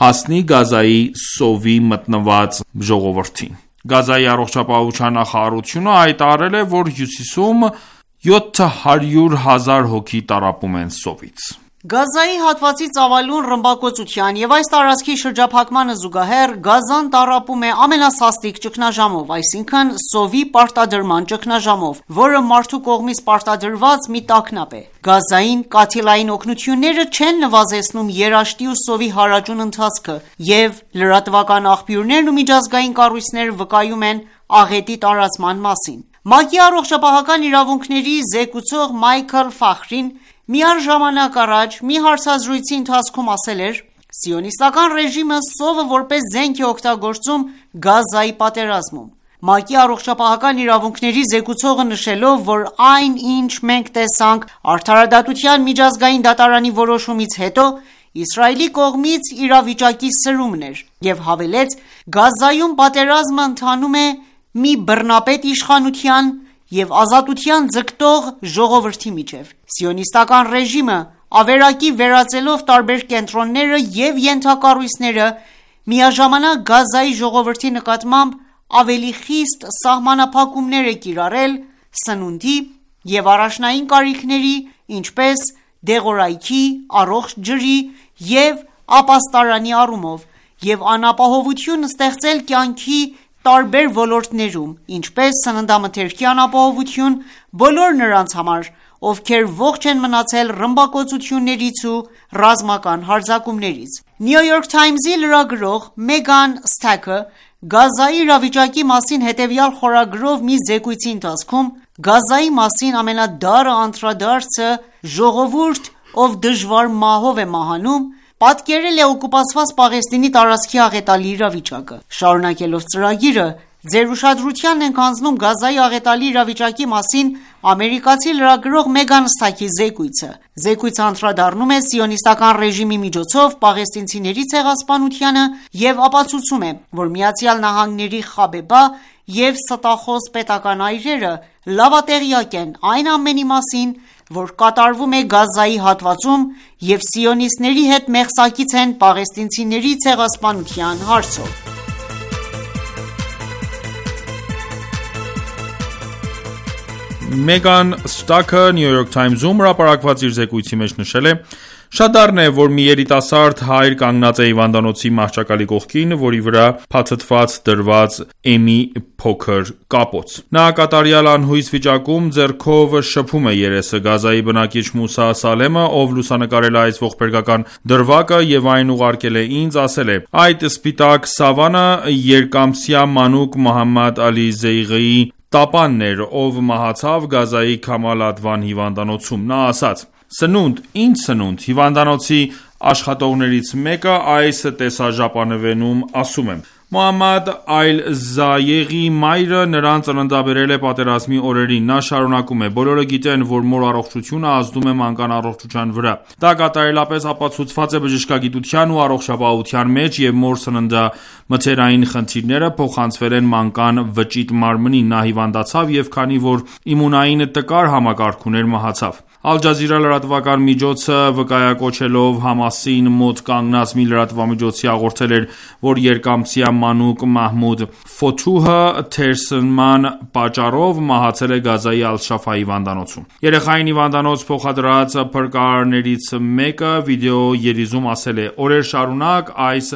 հասնի Գազայի սովի մտնված ժողովրդին։ Գազայի առողջապահության նախարարությունը հայտարարել է, որ հյուսիսում յոթ հարյուր հազար հոգի տառապում են սովից։ Գազայի հատվածի ծավալուն ռմբակոծության և այս տարածքի շրջափակմանը զուգահեռ Գազան տառապում է ամենասաստիկ ճգնաժամով, այսինքն սովի պարտադրման ճգնաժամով, որը մարդու կողմից պարտադրված մի տագնապ է։ Գազային կաթիլային օգնությունները չեն նվազեցնում երաշտի ու սովի հարաճուն ընթացքը, և լրատվական աղբյուրներն ու միջազգային կառույցները վկայում են աղետի տարածման մասին։ ՄԱԿ-ի առողջապահական իրավունքների զեկուցող Մայքլ Ֆախրին միառժամանակ առաջ մի հարցազրույցի ընթացքում ասել էր. «Սիոնիստական ռեժիմը սովը որպես զենք է օգտագործում Գազայի պատերազմում»։ ՄԱԿ-ի առողջապահական իրավունքների զեկուցողը նշելով, որ այն, ինչ մենք տեսանք Արդարադատության միջազգային դատարանի որոշումից հետո, Իսրայելի կողմից իրավիճակի սրումն էր, և հավելեց. «Գազայում պատերազմը ընթանում է մի բռնապետ իշխանության և ազատության ձգտող ժողովրդի միջև»։ Սիոնիստական ռեժիմը ավերակի վերածելով տարբեր կենտրոնները և ենթակառույցները միաժամանակ Գազայի ժողովրդի նկատմամբ ավելի խիստ սահմանափակումներ է կիրառել սննդի և առաջնային կարիքների, ինչպես դեղորայքի, առողջ ջրի և ապաստարանի առումով, և անապահովություն ստեղծել կյանքի տարբեր ոլորտներում, ինչպես սննդամթերքի անապահովություն բոլոր նրանց համար, ովքեր ողջ են մնացել ռմբակոծություններից ու ռազմական հարձակումներից։ New York Times-ի լրագրող Մեգան Ստաքը Գազայի իրավիճակի մասին հետևյալ խորագրով մի զեկույցի ընթացքում Գազայի մասին ամենադառը անդրադարձը ժողովուրդ, ով դժվար մահով է մահանում, պատկերել է օկուպացված Պաղեստինի տարածքի աղետալի իրավիճակը։ Շարունակելով ծրագիրը, ձեր ուշադրությանն ենք հանձնում Գազայի աղետալի իրավիճակի մասին ամերիկացի լրագրող Մեգան Ստաքի զեկույցը։ Զեկույցը անդրադառնում է սիոնիստական ռեժիմի միջոցով պաղեստինցիների ցեղասպանությանը և ապացուցում է, որ Միացյալ Նահանգների Խաբեբա և ստախոս պետական այրերը լավատեղյակ են այն ամենի մասին, որ կատարվում է Գազայի հատվածում և սիոնիստների հետ մեղսակից են պաղեստինցիների ցեղասպանության հարցով։ Մեգան Ստաքը New York Times-ում հրապարակված իր զեկույցի մեջ նշել է. «Շատ դառն է, որ մի երիտասարդ հայր կանգնած է հիվանդանոցի մահճակալի կողքին, որի վրա փաթաթված դրված է մի փոքր կապոց։ Նա կատարյալ անհույս վիճակում ձեռքով շփում է երեսը։ Գազայի բնակիչ Մուսա Սալեմը, ով լուսանկարել է այս ողբերգական դրվագը և այն ուղարկել է ինձ, ասել է. «Այդ սպիտակ սավանը երկամսյա մանուկ Մոհամմադ Ալի Զեյղիի տապանն էր, ով մահացավ Գազայի Քամալ Ադվան հիվանդանոցում։ Նա ասաց. «Սնունդ, ինչ սնունդ»։ Հիվանդանոցի աշխատողներից մեկը այս տեսաժապավենում ասում է. Մոհամմադ Այլ Զայեղի մայրը նրան ծննդաբերել է պատերազմի օրերին։ Նա շարունակում է. «Բոլորը գիտեն, որ մոր առողջությունը ազդում է մանկան առողջության վրա։ Դա կատարելապես ապացուցված է բժշկագիտության ու առողջապահության մեջ, և մոր սննդամթերային խնդիրները փոխանցվել են մանկան վճիտ մարմնին։ Նա հիվանդացավ և քանի որ իմունային տկար համակարգ ուներ, մահացավ»։ Ալ Ջազիրա լրատվական միջոցը վկայակոչելով Համասին մոտ կանգնած մի լրատվամիջոցի հաղորդել էր, որ երկամսյա մանուկ Մահմուդ Ֆոթուհը թերսնման պատճառով մահացել է Գազայի Ալ-Շաֆա հիվանդանոցում։ Երեխային հիվանդանոց փոխադրած փրկարարներից մեկը վիդեո երիզում ասել է. «Օրեր շարունակ այս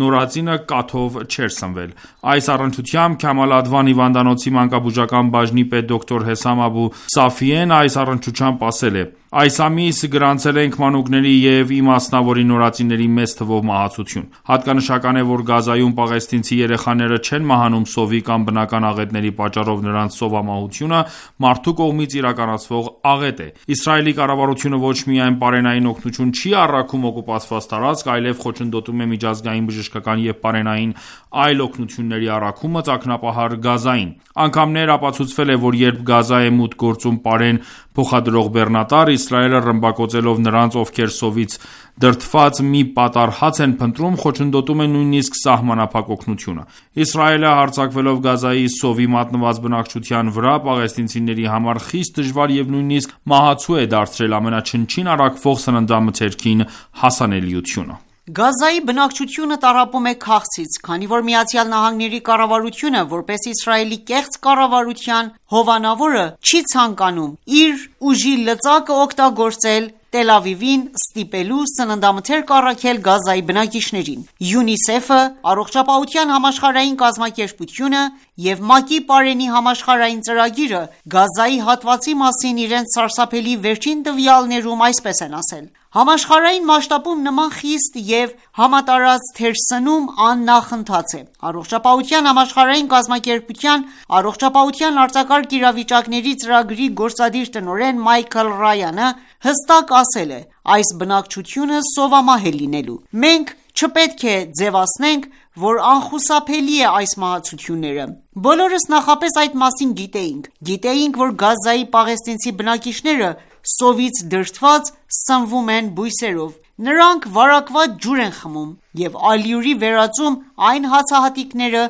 նորածինը կաթով չէր սնվել»։ Այս առնչությամբ Քամալ Ադվան հիվանդանոցի մանկաբուժական բաժնի պետ դոկտոր Հեսամ Աբու Սաֆիեն այս առնչությամբ ասել է. Այս ամիս գրանցել ենք մանուկների և իմասնավորի նորածինների մեծ թվով մահացություն: Հատկանշական է, որ Գազայում պաղեստինցի երեխաները չեն մահանում սովի կամ բնական աղետների պատճառով նրանց սովամահությունը մարդու կողմից իրականացվող աղետ է: Իսրայելի կառավարությունը ոչ միայն պարենային օգնություն չի առաքում օկուպացված տարածք, այլև խոչընդոտում է միջազգային բժշկական և պարենային այլ օգնությունների առաքումը ծագնապահար Գազային: Անգամներ ապացուցվել է, որ երբ Գազա է մուտք գործում պարեն փոխադրող բեռնատար, Իսրայելը ռմբակոծելով նրանց, ովքեր սովից դրդված մի պատառ հաց են փնտրում, խոչընդոտում է նույնիսկ սահմանափակ օգնությունը: Իսրայելը հարձակվելով Գազայի սովի մատնված բնակչության վրա, պաղեստինցիների համար խիստ դժվար և նույնիսկ մահացու է դարձրել ամենաչնչին առաքվող սննդամթերքին հասանելիությունը: Գազայի բնակչությունը տառապում է քաղցից, քանի որ ԱՄՆ-ի կառավարությունը, որպես Իսրայելի կեղծ կառավարության հովանավորը, չի ցանկանում իր ուժի լծակը օգտագործել Տել Ավիվին ստիպելու սննդամթերք առաքել Գազայի բնակիչներին: ՅՈՒՆԻՍԵՖ-ը, Առողջապահության համաշխարհային կազմակերպությունը և ՄԱԿ-ի պարենի համաշխարհային ծրագիրը Գազայի հատվածի մասին իրենց սարսափելի վերջին տվյալներում այսպես են ասել. «Համաշխարհային մասշտաբում նման խիստ և համատարած թերսնում աննախընթաց է: Առողջապահության համաշխարհային կազմակերպության առողջապահության արձակարգ իրավիճակների ծրագրի գործադիր տնօրեն Մայքլ Ռայանը հստակ ասել է. «Այս բնակչությունը սովամահ է լինելու: Մենք չպետք է ձևացնենք, որ անխուսափելի է այս մահացությունները: Բոլորս նախապես այդ մասին գիտեինք: Գիտեինք, որ Գազայի պաղեստինցի բնակիչները սովից դրդված սնվում են բույսերով: Նրանք վարակված ջուր են խմում և ալյուրի վերածում այն հացահատիկները,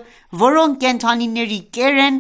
որոնք կենդանիների կեր են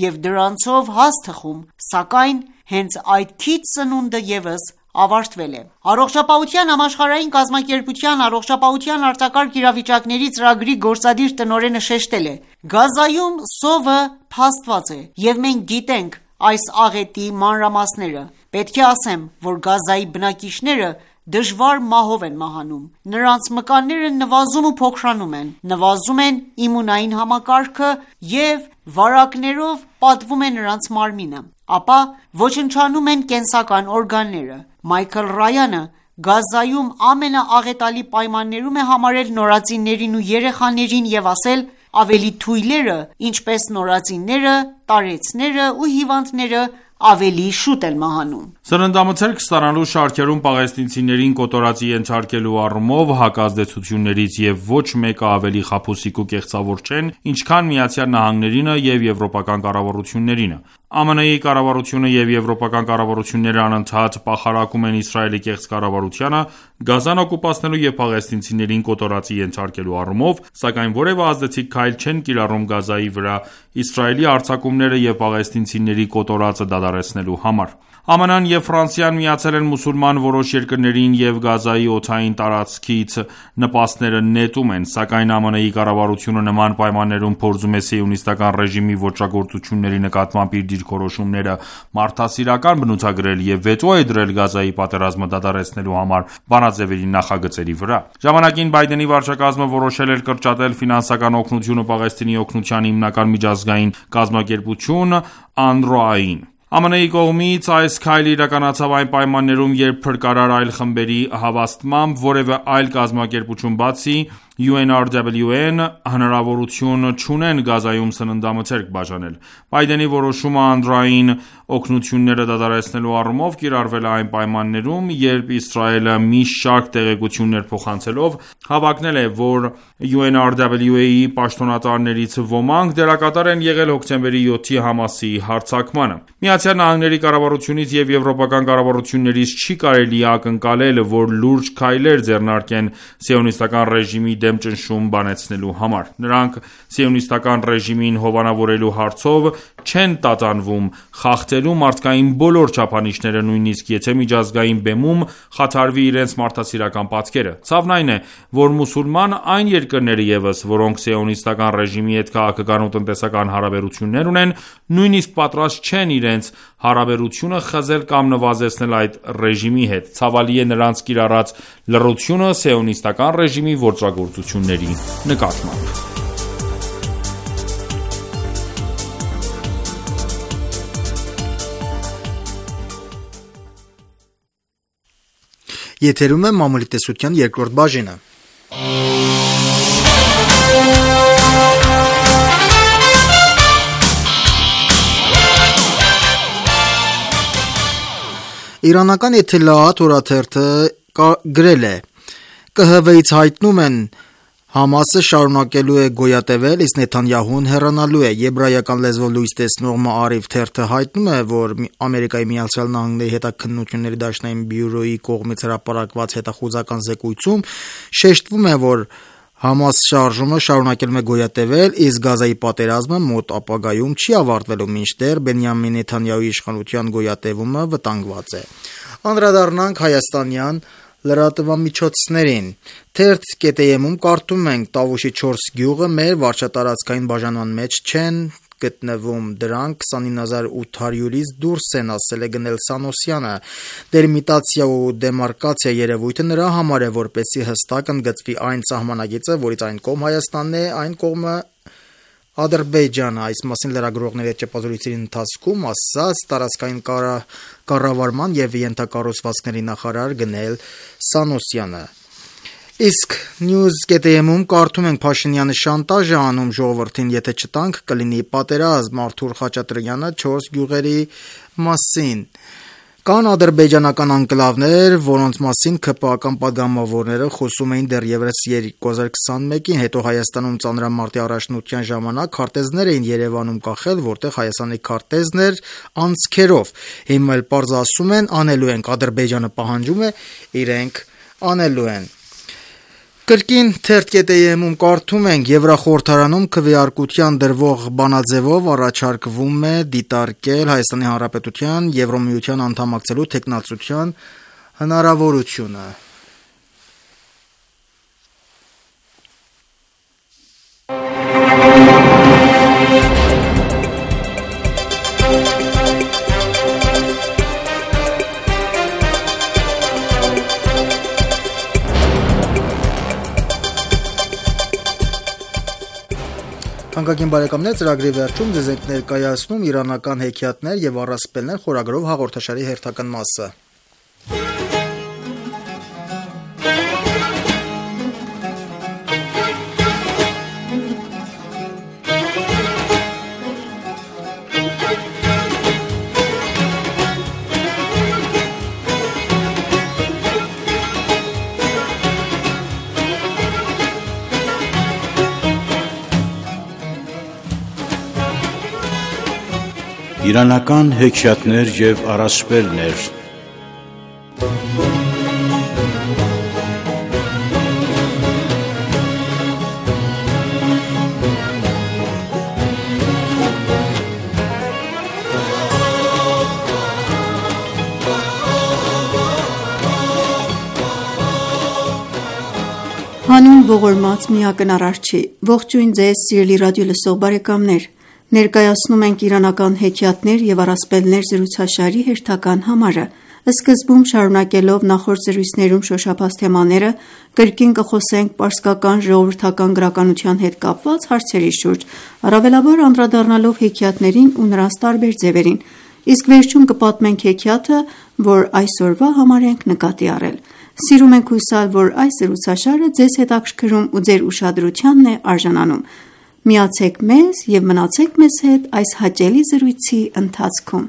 և դրանցով հաց թխում: Սակայն հենց այդ քիչ սնունդը ևս ավարտվել է»: Առողջապահության համաշխարհային կազմակերպության առողջապահության արձակարգ իրավիճակների ծրագրի գործադիր տնօրենը շեշտել է. «Գազայում սովը փաստված է և մենք գիտենք այս աղետի մանրամասները: Պետք է ասեմ, որ Գազայի բնակիչները դժվար մահով են մահանում: Նրանց մկանները նվազում ու փոքրանում են: Նվազում է իմունային համակարգը և վարակներով պատվում է նրանց մարմինը: Ապա ոչնչանում են կենսական օրգանները»: Մայքլ Ռայանը Գազայում ամենաաղետալի պայմաններում է համարել նորածիններին ու երեխաներին և ասել. «Ավելի թույլերը, ինչպես նորածինները, տարեցները ու հիվանդները ավելի շուտ են մահանում»: Սննդամթերք ստանալու շարքերում պաղեստինցիներին կոտորածի ենթարկելու առումով հակազդեցություններից և ոչ մեկը ավելի խաբուսիկ ու կեղծավոր չեն, ինչքան ԱՄՆ-ը և եվրոպական կառավարություններինը: ԱՄՆ-ի կառավարությունը և եվրոպական կառավարությունները անընդհատ պախարակում են Իսրայելի կեղծ կառավարությանը Գազան օկուպացնելու և պաղեստինցիներին կոտորածի ենթարկելու առումով, սակայն որևէ ազդեցիկ քայլ չեն կիրառում Գազայի վրա Իսրայելի հարձակումները և պաղեստինցիների կոտորածը դադարեցնելու համար: ԱՄՆ-ն և Ֆրանսիան միացել են մուսուլման որոշ երկրներին և Գազայի օդային տարածքից նպաստները նետում են: Սակայն ԱՄՆ-ի կառավարությունը նման պայմաններում փորձում է Սիոնիստական ռեժիմի ոճրագործությունների նկատմամբ իր դիրքորոշումները մարդասիրական բնութագրել և վետո է դրել Գազայի պատերազմը դադարեցնելու համար բանաձևերի նախագծերի վրա: Ժամանակին Բայդենի վարչակազմը որոշել էր կրճատել ֆինանսական օգնությունը Պաղեստինի օգնության հիմնական միջազգային կազմակերպություն ԱՆՌՈԱ-ին: ԱՄՆ-ի կողմից այս քայլը իրականացավ այն պայմաններում, երբ փրկարար այլ խմբերի հավաստմամբ, որևէ այլ կազմակերպություն, բացի յու էն առ դաբլյու էն, հնարավորություն չունեն Գազայում սննդամթերք բաժանել: Բայդենի որոշումը ԱՆՌՕ-ին օգնությունները դադարեցնելու առումով կիրառվել է այն պայմաններում, երբ Իսրայելը մի շարք տեղեկություններ փոխանցելով, հավակնել է, որ յու էն առ դաբլյու էն-ի պաշտոնատարներից ոմանք դերակատար են եղել հոկտեմբերի յոթի Համասի հարձակմանը: ԱՄՆ-ի կառավարությունից և եվրոպական կառավարություններից չի կարելի ակնկալել, որ լուրջ քայլեր ձեռնարկեն Սիոնիստական ռեժիմի դեմ ճնշում բանեցնելու համար: Նրանք Սիոնիստական ռեժիմին հովանավորելու հարցով չեն տատանվում խախտելու մարդկային բոլոր չափանիշները, նույնիսկ եթե միջազգային բեմում խաթարվի իրենց մարդասիրական պատկերը: Ցավն այն է, որ մուսուլման այն երկրները ևս, որոնք Սիոնիստական ռեժիմի հետ քաղաքական ու տնտեսական հարաբերություններ ունեն, նույնիսկ պատրաստ չեն իրենց հարաբերությունը խզել կամ նվազեցնել այդ ռեժիմի հետ: Ցավալի է նրանց կիրառած լռությունը Սիոնիստական ռեժիմի ոճրագործությունների նկատմամբ: Եթերում է մամուլի տեսության երկրորդ բաժինը։ Իրանական Էթելաաթ օրաթերթը գրել է. «Կ Հ V-ից հայտնում են, Համասը շարունակելու է գոյատևել, իսկ Նեթանյահուն հեռանալու է»։ Եբրայական լեզվով լույս տեսնող Մաարիվ թերթը հայտնում է, որ Ամերիկայի Միացյալ Նահանգների հետաքննությունների դաշնային բյուրոյի կողմից հրապարակված հետախուզական զեկույցում շեշտվում է, որ Համաս շարժումը շարունակելու է գոյատևել, իսկ Գազայի պատերազմը մոտ ապագայում չի ավարտվելու, մինչդեռ Բենյամին Նեթանյահուի իշխանության գոյատևումը վտանգված է։ Անդրադառնանք հայաստանյան լրատվամիջոցներին։ Թերթ.am-ում կարդում ենք. Տավուշի չորս գյուղը մեր վարչատարածքային բաժանման մեջ չեն գտնվում, դրանք քսանինը հազար ութ հարյուրից դուրս են, ասել է գնել Սանոսյանը։ Դելիմիտացիա ու դեմարկացիա երևույթը նրա համար է, որպեսզի հստակ ընդգծվի այն սահմանագիծը, որից այն կողմ Հայաստանն է, այն կողմը Ադրբեջանը։ Այս մասին լրագրողների հետ ճեպազրույցների ընթացքում ասաց տարածքային կառավարման եւ ենթակառուցվածքների նախարար գնել Սանոսյանը։ Իսկ News.am-ում կարդում ենք Փաշինյանը շանտաժ է անում ժողովրդին, եթե չտանք կլինի պատերազմ։ Արթուր Խաչատրյանը չորս գյուղերի մասին։ Կան ադրբեջանական անկլավներ, որոնց մասին ՔՊԱ-ական պատգամավորները խոսում էին դեռևս երկու հազար քսանմեկին, հետո Հայաստանում ծանրամարտի առաջնության ժամանակ քարտեզներ էին Երևանում կախել, որտեղ Հայաստանի քարտեզն էր անցքերով։ Հիմա էլ պարզ ասում են անելու ենք, Ադրբեջանը պահանջում է, իրենք անելու են։ Կրկին թերթ.am-ում կարդում ենք. Եվրախորհրդարանում քվեարկության դրվող բանաձևով առաջարկվում է դիտարկել Հայաստանի Հանրապետության Եվրոմիության անդամակցելու թեկնածության հնարավորությունը։ Հանկագին բարեկամներ, ծրագրի վերջում ձեզ ենք ներկայացնում իրանական հեքիաթներ եւ առասպելներ խորագրով հաղորդաշարի հերթական մասը։ Իրանական հեքիաթներ եւ առասպելներ։ Հանուն ողորմած միակն Արարչի, ողջույն ձեզ սիրելի ռադիո լսող բարեկամներ։ Ներկայացնում ենք իրանական հեքիաթներ եւ առասպելներ զրուցաշարի հերթական համարը։ Սկզբում շարունակելով նախորդ զրույցներում շոշափած թեմաները, կրկին կխոսենք պարսկական ժողովրդական գրականության հետ կապված հարցերի շուրջ, առավելաբար անդրադառնալով հեքիաթներին ու նրանց տարբեր ձևերին, իսկ վերջում կպատմենք հեքիաթը, որ այսօրվա համար ենք նկատի առել։ Սիրում ենք հուսալ, որ այս զրուցաշարը ձեզ հետաքրքրում ու ձեր ուշադրությանն է արժանանում։ Միացեք մեզ և մնացեք մեզ հետ այս հաճելի զրույցի ընթացքում։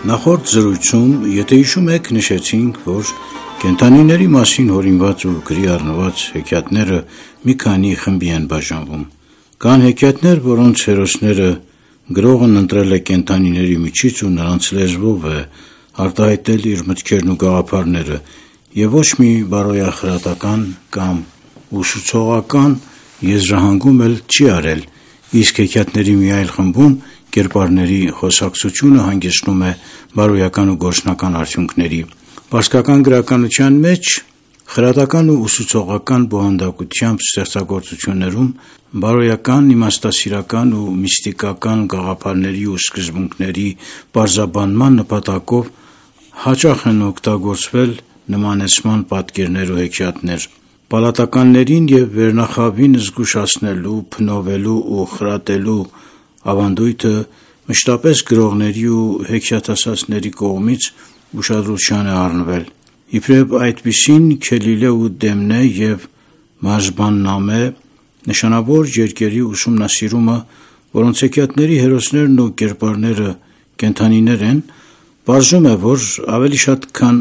Նախորդ զրույցում, եթե հիշում եք, նշեցինք, որ կենդանիների մասին հորինված ու գրի առնված հեքիաթները մի քանի խմբի են բաժանվում։ Կան հեքիաթներ, որոնց հերոսները գրողն ընտրել է կենդանիների միջից ու նրանց լեզվով է արտահայտել իր մտքերն ու գաղափարները, եւ ոչ մի բարոյախրատական կամ ուսուցողական եզրահանգում էլ չի արել, իսկ հեքիաթների մի այլ խմբում կերպարների խոսակցությունը հանգեցնում է բարոյական ու գործնական արդյունքների։ Պարսկական գրականության մեջ խրատական ու ուսուցողական բովանդակությամբ ստեղծագործություններում բարոյական, իմաստասիրական ու միստիկական գաղափարների ու սկզբունքների պարզաբանման նպատակով հաճախ են օգտագործվել նմանեցման պատկերներ ու հեքիաթներ։ Պալատականներին և վերնախավին զգուշացնելու, փնովելու ու խրատելու ավանդույթը մշտապես գրողների ու հեքիաթասացների կողմից ուշադրության է առնվել։ Իբրև այդպիսին Քելիլե ու Դեմնե և Մաժբան-նամե նշանավոր երկերի ուսումնասիրումը, որոնց հեքիաթների հերոսներն ու կերպարները կենդանիներ են, պարզում է, որ ավելի շատ քան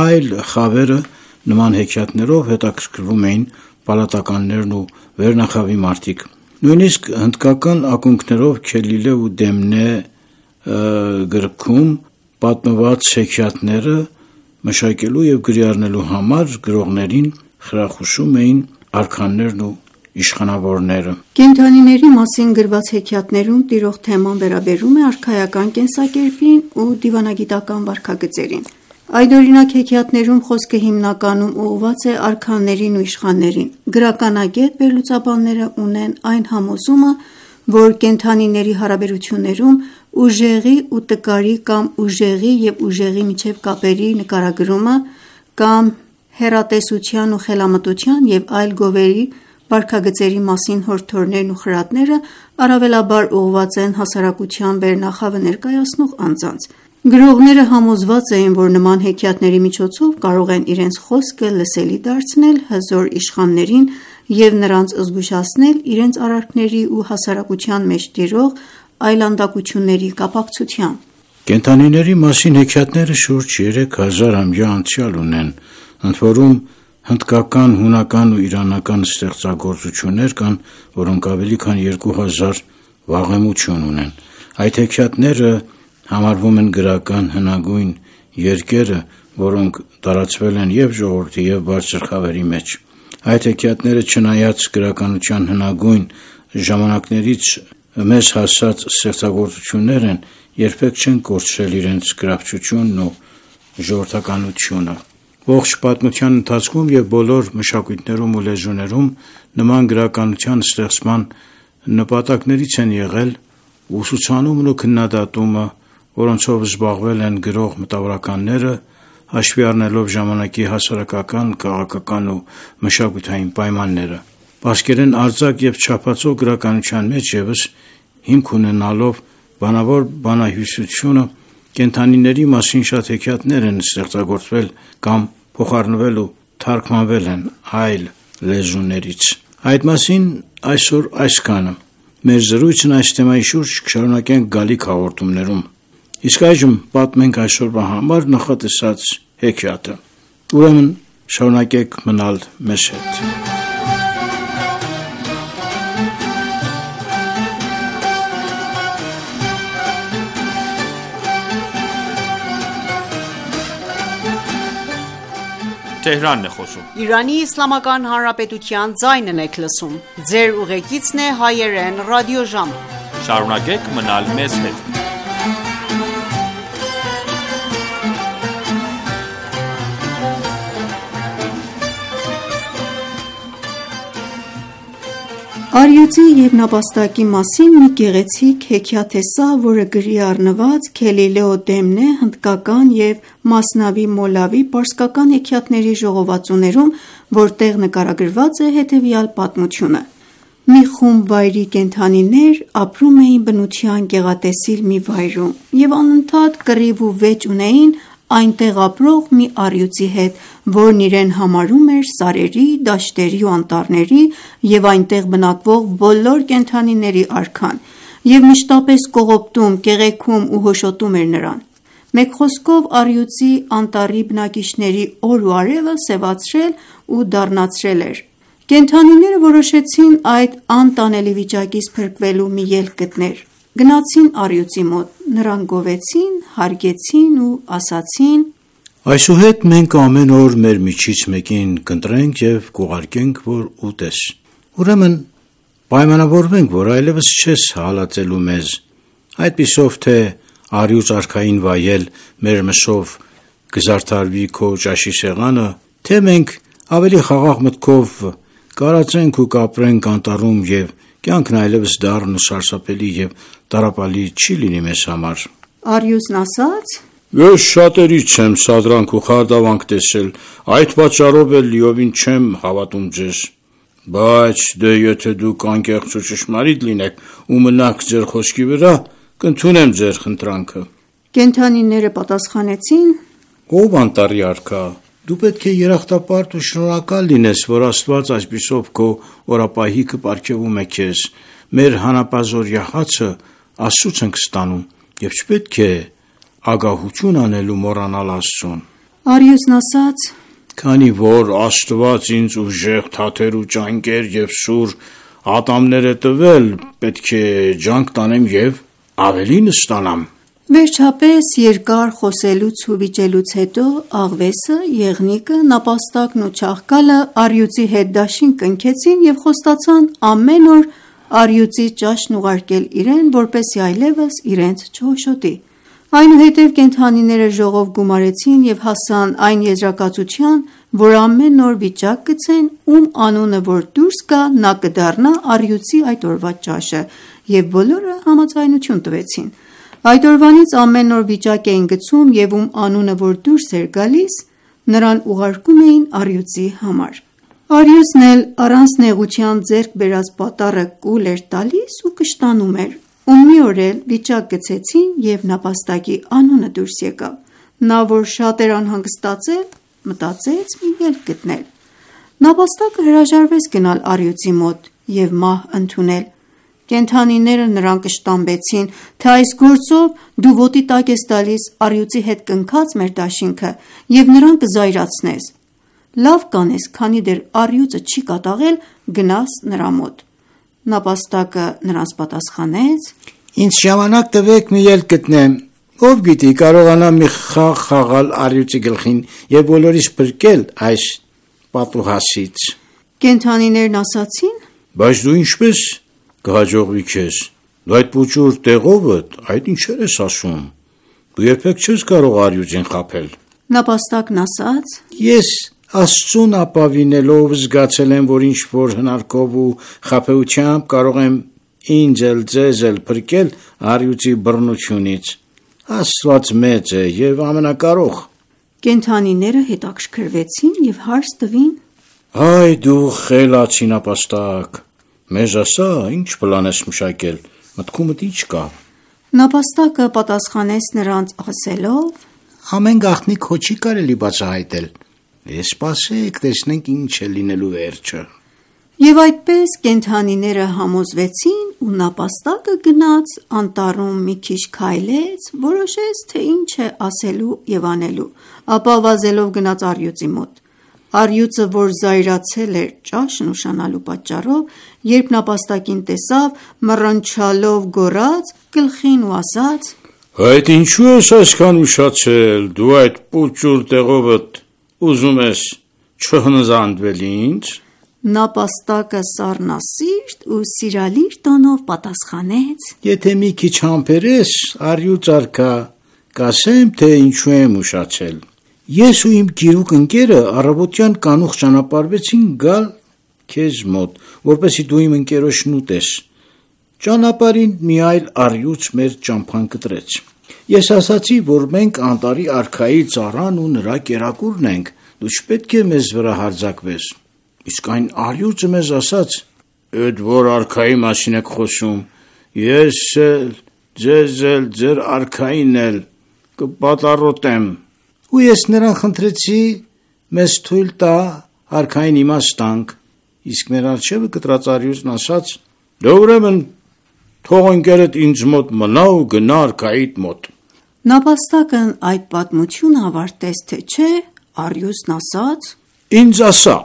այլ խավերը նման հեքիաթներով հետաքրքրվում էին պալատականներն ու վերնախավի մարդիկ։ Նույնիսկ հնդկական ակունքներով Քելիլե ու Դեմնե գրքում պատմված հեքիաթները մշակելու և գրի առնելու համար գրողներին խրախուսում էին արքաներն ու իշխանավորները։ Կենդանիների մասին գրված հեքիաթներում տիրող թեման վերաբերում է արքայական կենսակերպին ու դիվանագիտական վարքագծերին։ Այդօրինակ հեքիաթներում խոսքը հիմնականում ուղղված է արքաներին ու իշխաններին։ Գրականագետ վերլուծաբանները ունեն այն համոզումը, որ կենդանիների հարաբերություններում ուժեղի ու տկարի կամ ուժեղի և ուժեղի միջև կապերի նկարագրումը կամ հեռատեսության ու խելամտության և այլ գովերի վարքագծերի մասին հորդորներն ու խրատները առավելաբար ուղղված են հասարակության վերնախավը ներկայացնող անձանց։ Գրողները համոզված էին, որ նման հեքիաթների միջոցով կարող են իրենց խոսքը լսելի դարձնել հզոր իշխաններին և նրանց զգուշացնել իրենց արարքների ու հասարակության մեջ տիրող այլանդակությունների կապակցությամբ։ Կենդանիների մասին հեքիաթները շուրջ երեք հազար ամյա անցյալ ունեն, ընդ որում հնդկական, հունական ու իրանական ստեղծագործություններ կան, որոնք ավելի քան երկու հազար վաղեմություն ունեն։ Այդ հեքիաթները համարվում են գրական հնագույն երկերը, որոնք տարածվել են և ժողովրդի և բարձր խավերի մեջ։ Այդ հեքիաթները, չնայած գրականության հնագույն ժամանակներից մեզ հասած ստեղծագործություններ են, երբեք չեն կորցրել իրենց գրավչությունն ու ժողովրդականությունը։ Ողջ պատմության ընթացքում և բոլոր մշակույթներում ու լեզուներում նման գրականության ստեղծման նպատակներից են եղել ուսուցանումն ու քննադատումը, որոնցով զբաղվել են գրող մտավորականները, հաշվի առնելով ժամանակի հասարակական, քաղաքական ու մշակութային պայմանները։ Պարսկերեն արձակ և չափածո գրականության մեջ ևս հիմք ունենալով բանավոր բանահյուսությունը, կենդանիների մասին շատ հեքիաթներ են ստեղծագործվել կամ փոխառնվել ու թարգմանվել են այլ լեզուներից։ Այդ մասին այսօր այսքանը։ Մեր զրույցն այս թեմայի շուրջ կշարունակենք գալիք հաղորդումներում։ Իսկ այժմ պատմենք այսօրվա համար նախատեսած հեքիաթը։ Ուրեմն շարունակեք մնալ մեզ հետ։ Թեհրանն է խոսում։ Իրանի Իսլամական Հանրապետության ձայնն եք լսում։ Ձեր ուղեկիցն է հայերեն ռադիոժամը։ Շարունակեք մնալ մեզ հետ։ Առյուծի և նապաստակի մասին մի գեղեցիկ հեքիաթ է սա, որը գրի առնված Քելիլե ու Դեմնե հնդկական և Մասնավի Մոլավի պարսկական հեքիաթների ժողովածուներում, որտեղ նկարագրված է հետևյալ պատմությունը։ Մի խումբ վայրի կենդանիներ ապրում էին բնության գեղատեսիլ մի վայրում և անընդհատ կռիվ ու վեճ ունեին այնտեղ ապրող մի առյուծի հետ, որն իրեն համարում էր սարերի, դաշտերի ու անտառների և այնտեղ բնակվող բոլոր կենդանիների արքան և մշտապես կողոպտում, կեղեքում ու հոշոտում էր նրան։ Մեկ խոսքով առյուծի անտառի բնակիչների օր ու արևը սևացրել ու դառնացրել էր։ Կենդանիները որոշեցին այդ անտանելի վիճակից փրկվելու մի ելք գտնել։ Գնացին առյուծի մոտ, նրան գովեցին, հարգեցին ու ասացին. Այսուհետ մենք ամեն օր մեր միջից մեկին կընտրենք և կուղարկենք, որ ուտես։ Ուրեմն պայմանավորվենք, որ այլևս չես հալածելու մեզ, այդպիսով թե առյուծ արքային վայել մեր մսով կզարդարվի քո ճաշի սեղանը, թե մենք ավելի խաղաղ մտքով Կարացենք ու կապրենք անտառում եւ կյանքն այլևս դառն ու սարսափելի եւ տառապալի չի լինի մեզ համար։ Արիուսն ասաց. Ես շատերից եմ սադրանք ու խարդավանք տեսել, այդ պատճառով էլ լիովին չեմ հավատում ձեզ։ Բայց դե եթե դուք անկեղծ ու ճշմարիտ լինեք ու մնաք ձեր խոսքի վրա, կընդունեմ ձեր խնդրանքը։ Կենդանիները պատասխանեցին. Ով անտառի արքա, դու պետք է երախտապարտ ու շնորհակալ լինես, որ Աստված այսպիսով քո օրապահիկը պարգևում է քեզ։ Մեր հանապազօրյա հացը Աստծուց ենք ստանում եւ չպետք է ագահություն անելու մոռանալ Աստծուն։ Արիուսն ասաց. Քանի որ Աստված ինձ ուժեղ թաթեր ու ճանկեր եւ սուր ատամներ է տվել, պետք է ջանք տանեմ եւ ավելին ստանամ։ Վերջապես երկար խոսելուց ու վիճելուց հետո աղվեսը, եղնիկը, նապաստակն ու չաղկալը Արիուցի հետ դաշին կնքեցին եւ խոստացան ամեն օր Արիուցի ճաշն ուղարկել իրեն, որպեսզի այլևս իրենց չհոշոտի։ Այնուհետև կենդանիները ժողով գումարեցին եւ հասան այն եզրակացության, որ ամեն օր վիճակ գցեն, ում անունը որ դուրս գա, նա կդառնա Արիուցի այդ օրվա ճաշը, եւ բոլորը համաձայնություն տվեցին։ Այդ օրվանից ամեն օր վիճակ էին գցում եւ ում անունը որ դուրս էր գալիս, նրան ուղարկում էին Արիուցի համար։ Արիուսն էլ առանց նեղության ձեռք բերած պատառը կուլ էր տալիս ու կշտանում էր։ Ու մի օր էլ վիճակ գցեցին եւ նապաստակի անունը դուրս եկավ։ Նա որ շատ էր անհանգստացել, մտածեց մի ելք գտնել։ Նապաստակը հրաժարվեց գնալ Արիուցի մոտ եւ մահ ընդունել։ Կենդանիները նրան կշտամբեցին, թե այս գործով դու ոտի տակ ես տալիս Արիուցի հետ կնքած մեր դաշինքը եւ նրան կզայրացնես։ Լավ կանես, քանի դեռ Արիուցը չի կատաղել, գնաս նրա մոտ։ Նապաստակը նրանց պատասխանեց. Ինձ ժամանակ տվեք մի ելք գտնեմ։ Ով գիտի, կարողանամ մի խաղ խաղալ Արիուցի գլխին եւ բոլորիս փրկել այս պատուհասից։ Կենդանիներն ասացին. Բայց դու ինչպես կհաջողվի քեզ։ Դու այդ փոճուր տեղովդ, այդ ինչեր ես ասում։ Դու երբեք չես կարող Արիուցին խաբել։ Նապաստակն ասաց. Ես Աստծուն ապավինելով զգացել եմ, որ ինչ որ հնարքով ու խաբեությամբ կարող եմ ինձ էլ ձեզ էլ փրկել Արիուցի բռնությունից։ Աստված մեծ է եւ ամենակարող։ Կենդանիները հետաքրքրվեցին եւ հարց տվին. Այ դու խելացի նապաստակ, մեզ ասա, ինչ պլան ես մշակել, մտքումդ ինչ կա։ Նապաստակը պատասխանեց նրանց ասելով. Ամեն գաղտնի քո չի կարելի բացահայտել։ Ես սպասեք, տեսնենք ինչ է լինելու վերջը։ Եվ այդպես կենդանիները համոզվեցին ու նապաստակը գնաց անտառում մի քիչ քայլեց, որոշեց, թե ինչ է ասելու եւ անելու, ապա վազելով գնաց Արիուցի մոտ։ Արիուցը, որ զայրացել էր ճաշն ուշանալու պատճառով, երբ նապաստակին տեսավ, մռնչալով գոռաց գլխին ու ասաց. Այդ ինչու ես այսքան ուշացել, դու այդ փոճուր տեղովդ ուզում ես չհնզանդվել ինձ։ Նապաստակը սառնասիրտ ու սիրալիր տոնով պատասխանեց. Եթե մի քիչ համբերես, Արիուց արքա, կասեմ, թե ինչու եմ ուշացել։ Ես ու իմ գիրուկ ընկերը առավոտյան կանուխ ճանապարհվեցին գալ քեզ մոտ, որպեսզի դու իմ ընկերոջն ուտես։ Ճանապարհին մի այլ Արիուց մեր ճամփան կտրեց։ Ես ասացի, որ մենք անտառի արքայի ծառան ու նրա կերակուրն ենք, դու չպետք է մեզ վրա հարձակվես։ Իսկ այն Արիուծը մեզ ասաց. «Էդ որ արքայի մասին եք խոսում, ես էլ, ձեզ էլ, ձեր արքային էլ կպատառոտեմ»։ Ու ես նրան խնդրեցի մեզ թույլ տա արքային իմաստանք, իսկ մեր առջևը կտրած Արիուծն ասաց. «Դե ուրեմն թող ընկերդ ինձ մոտ մնա ու գնա արքայիդ մոտ»։ Նապաստակն այդ պատմությունը ավարտեց, թե չէ, Արիուծն ասաց. «Ինձ ասա,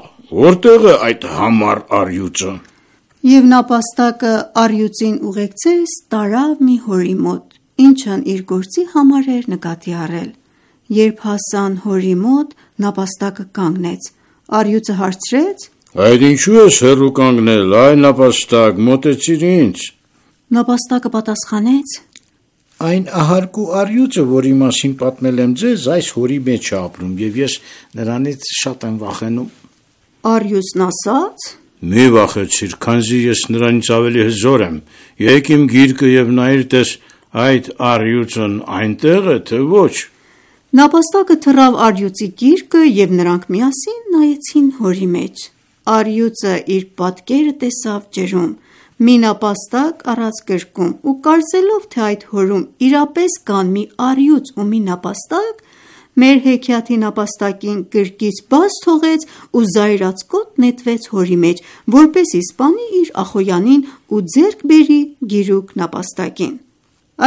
որտեղ է այդ համառ Արիուծը»։ Եվ նապաստակը Արիուծին ուղեկցեց տարավ մի հորի մոտ, ինչն իր գործի համար էր նկատի առել։ Երբ հասան հորի մոտ, նապաստակը կանգնեց։ Արիուծը հարցրեց. «Այդ ինչու ես հեռու կանգնել, այ նապաստակ, մոտեցիր ինձ»։ Նապաստակը պատասխանեց. «Այն ահարկու Արիուծը, որի մասին պատմել եմ ձեզ, այս հորի մեջ է ապրում, եւ ես նրանից շատ եմ վախենում»։ Արիուծն ասաց. Մի վախեցիր, քանզի ես նրանից ավելի հզոր եմ։ Եկ իմ գիրկը եւ նայիր տես այդ առյուծն այնտեղ է, թե ոչ։ Նապաստակը թռավ առյուծի գիրկը եւ նրանք միասին նայեցին հորի մեջ։ Առյուծը իր պատկերը տեսավ ջրում, մի նապաստակ առած գրկում ու կարծելով, թե այդ հորում իրապես կան մի առյուծ ու մի նապաստակ, մեր հեքիաթի նապաստակին գրկից բաց թողեց ու զայրացկոտ նետվեց հորի մեջ, որպեսզի սպանի իր ախոյանին ու ձեռք բերի գիրուկ նապաստակին։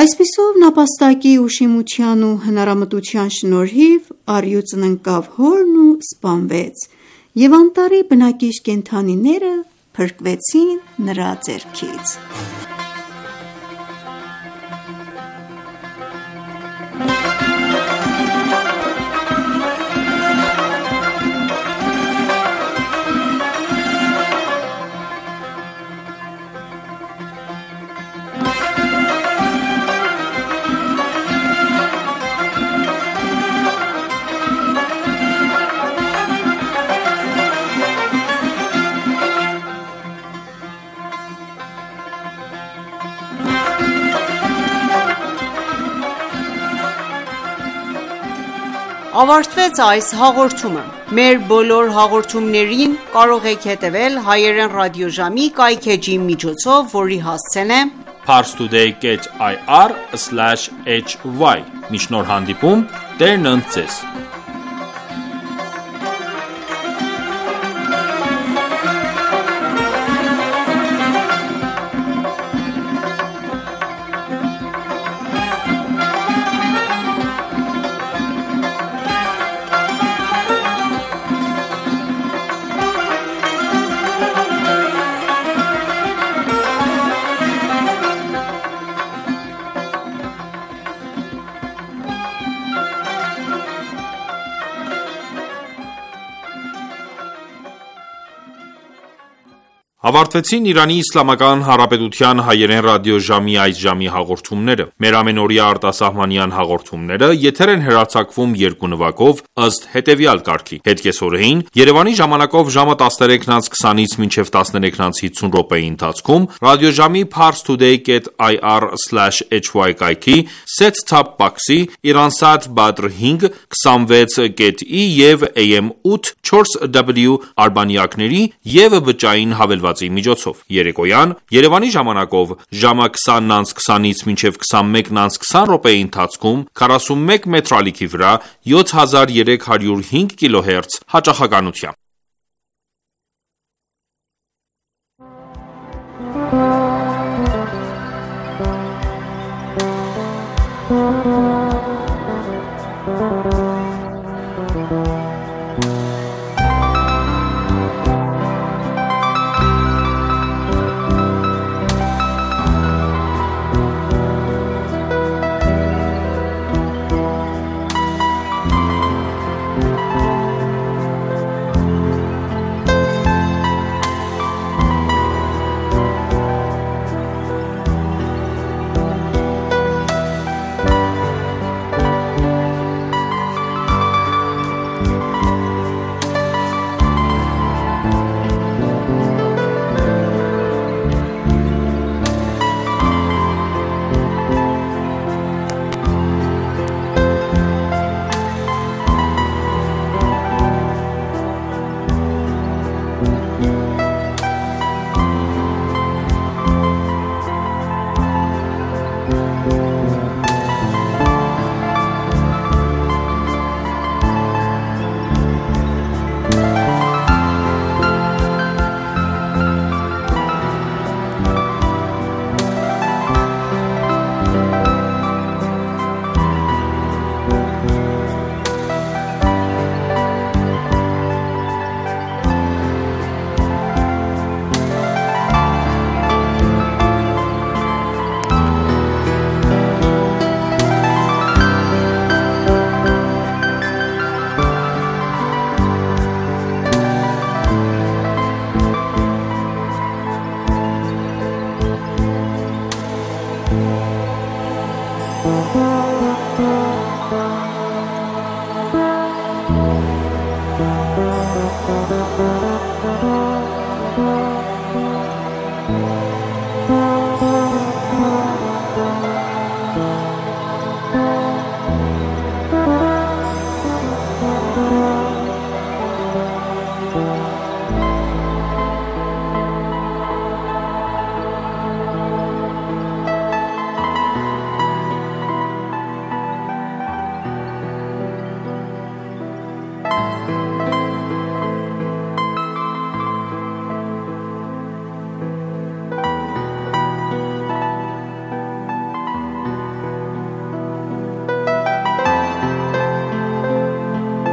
Այսպիսով նապաստակի ուշիմության ու հնարամտության շնորհիվ առյուծն ընկավ հորն ու սպանվեց, և անտառի բնակիչ կենդանիները փրկվեցին նրա ձեռքից։ Ավարտվեց այս հաղորդումը։ Մեր բոլոր հաղորդումներին կարող եք հետևել հայերեն ռադիոժամի կայքէջի միջոցով, որի հասցեն է parstoday dot i r slash h y։ Մինչ նոր հանդիպում, Տերն ընդ ձեզ։ Ավարտվեցին Իրանի Իսլամական Հանրապետության հայերեն ռադիոժամի այս ժամի հաղորդումները։ Մեր ամենօրյա արտասահմանյան հաղորդումները եթեր են հեռարձակվում երկու նվագով ըստ հետևյալ կարգի. Հետկեսօրեին Երևանի ժամանակով ժամը տասներեքն անց քսանից մինչև տասներեքն անց հիսուն րոպեի ընթացքում ռադիոժամի parstoday dot i r slash h y կայքի set-top box-ի Iransat Badr հինգ քսանվեց dot i և A M ութ չորս W արբանյակների և բջջային հավելվածի միջոցով։ Երեկոյան Երևանի ժամանակով ժամը քսանն անց քսանից մինչև քսանմեկն անց քսան րոպեի ընթացքում քառասունմեկ մետր ալիքի վրա յոթ հազար երեք հարյուր հինգ կիլոհերց հաճախականությամբ։ Thank you.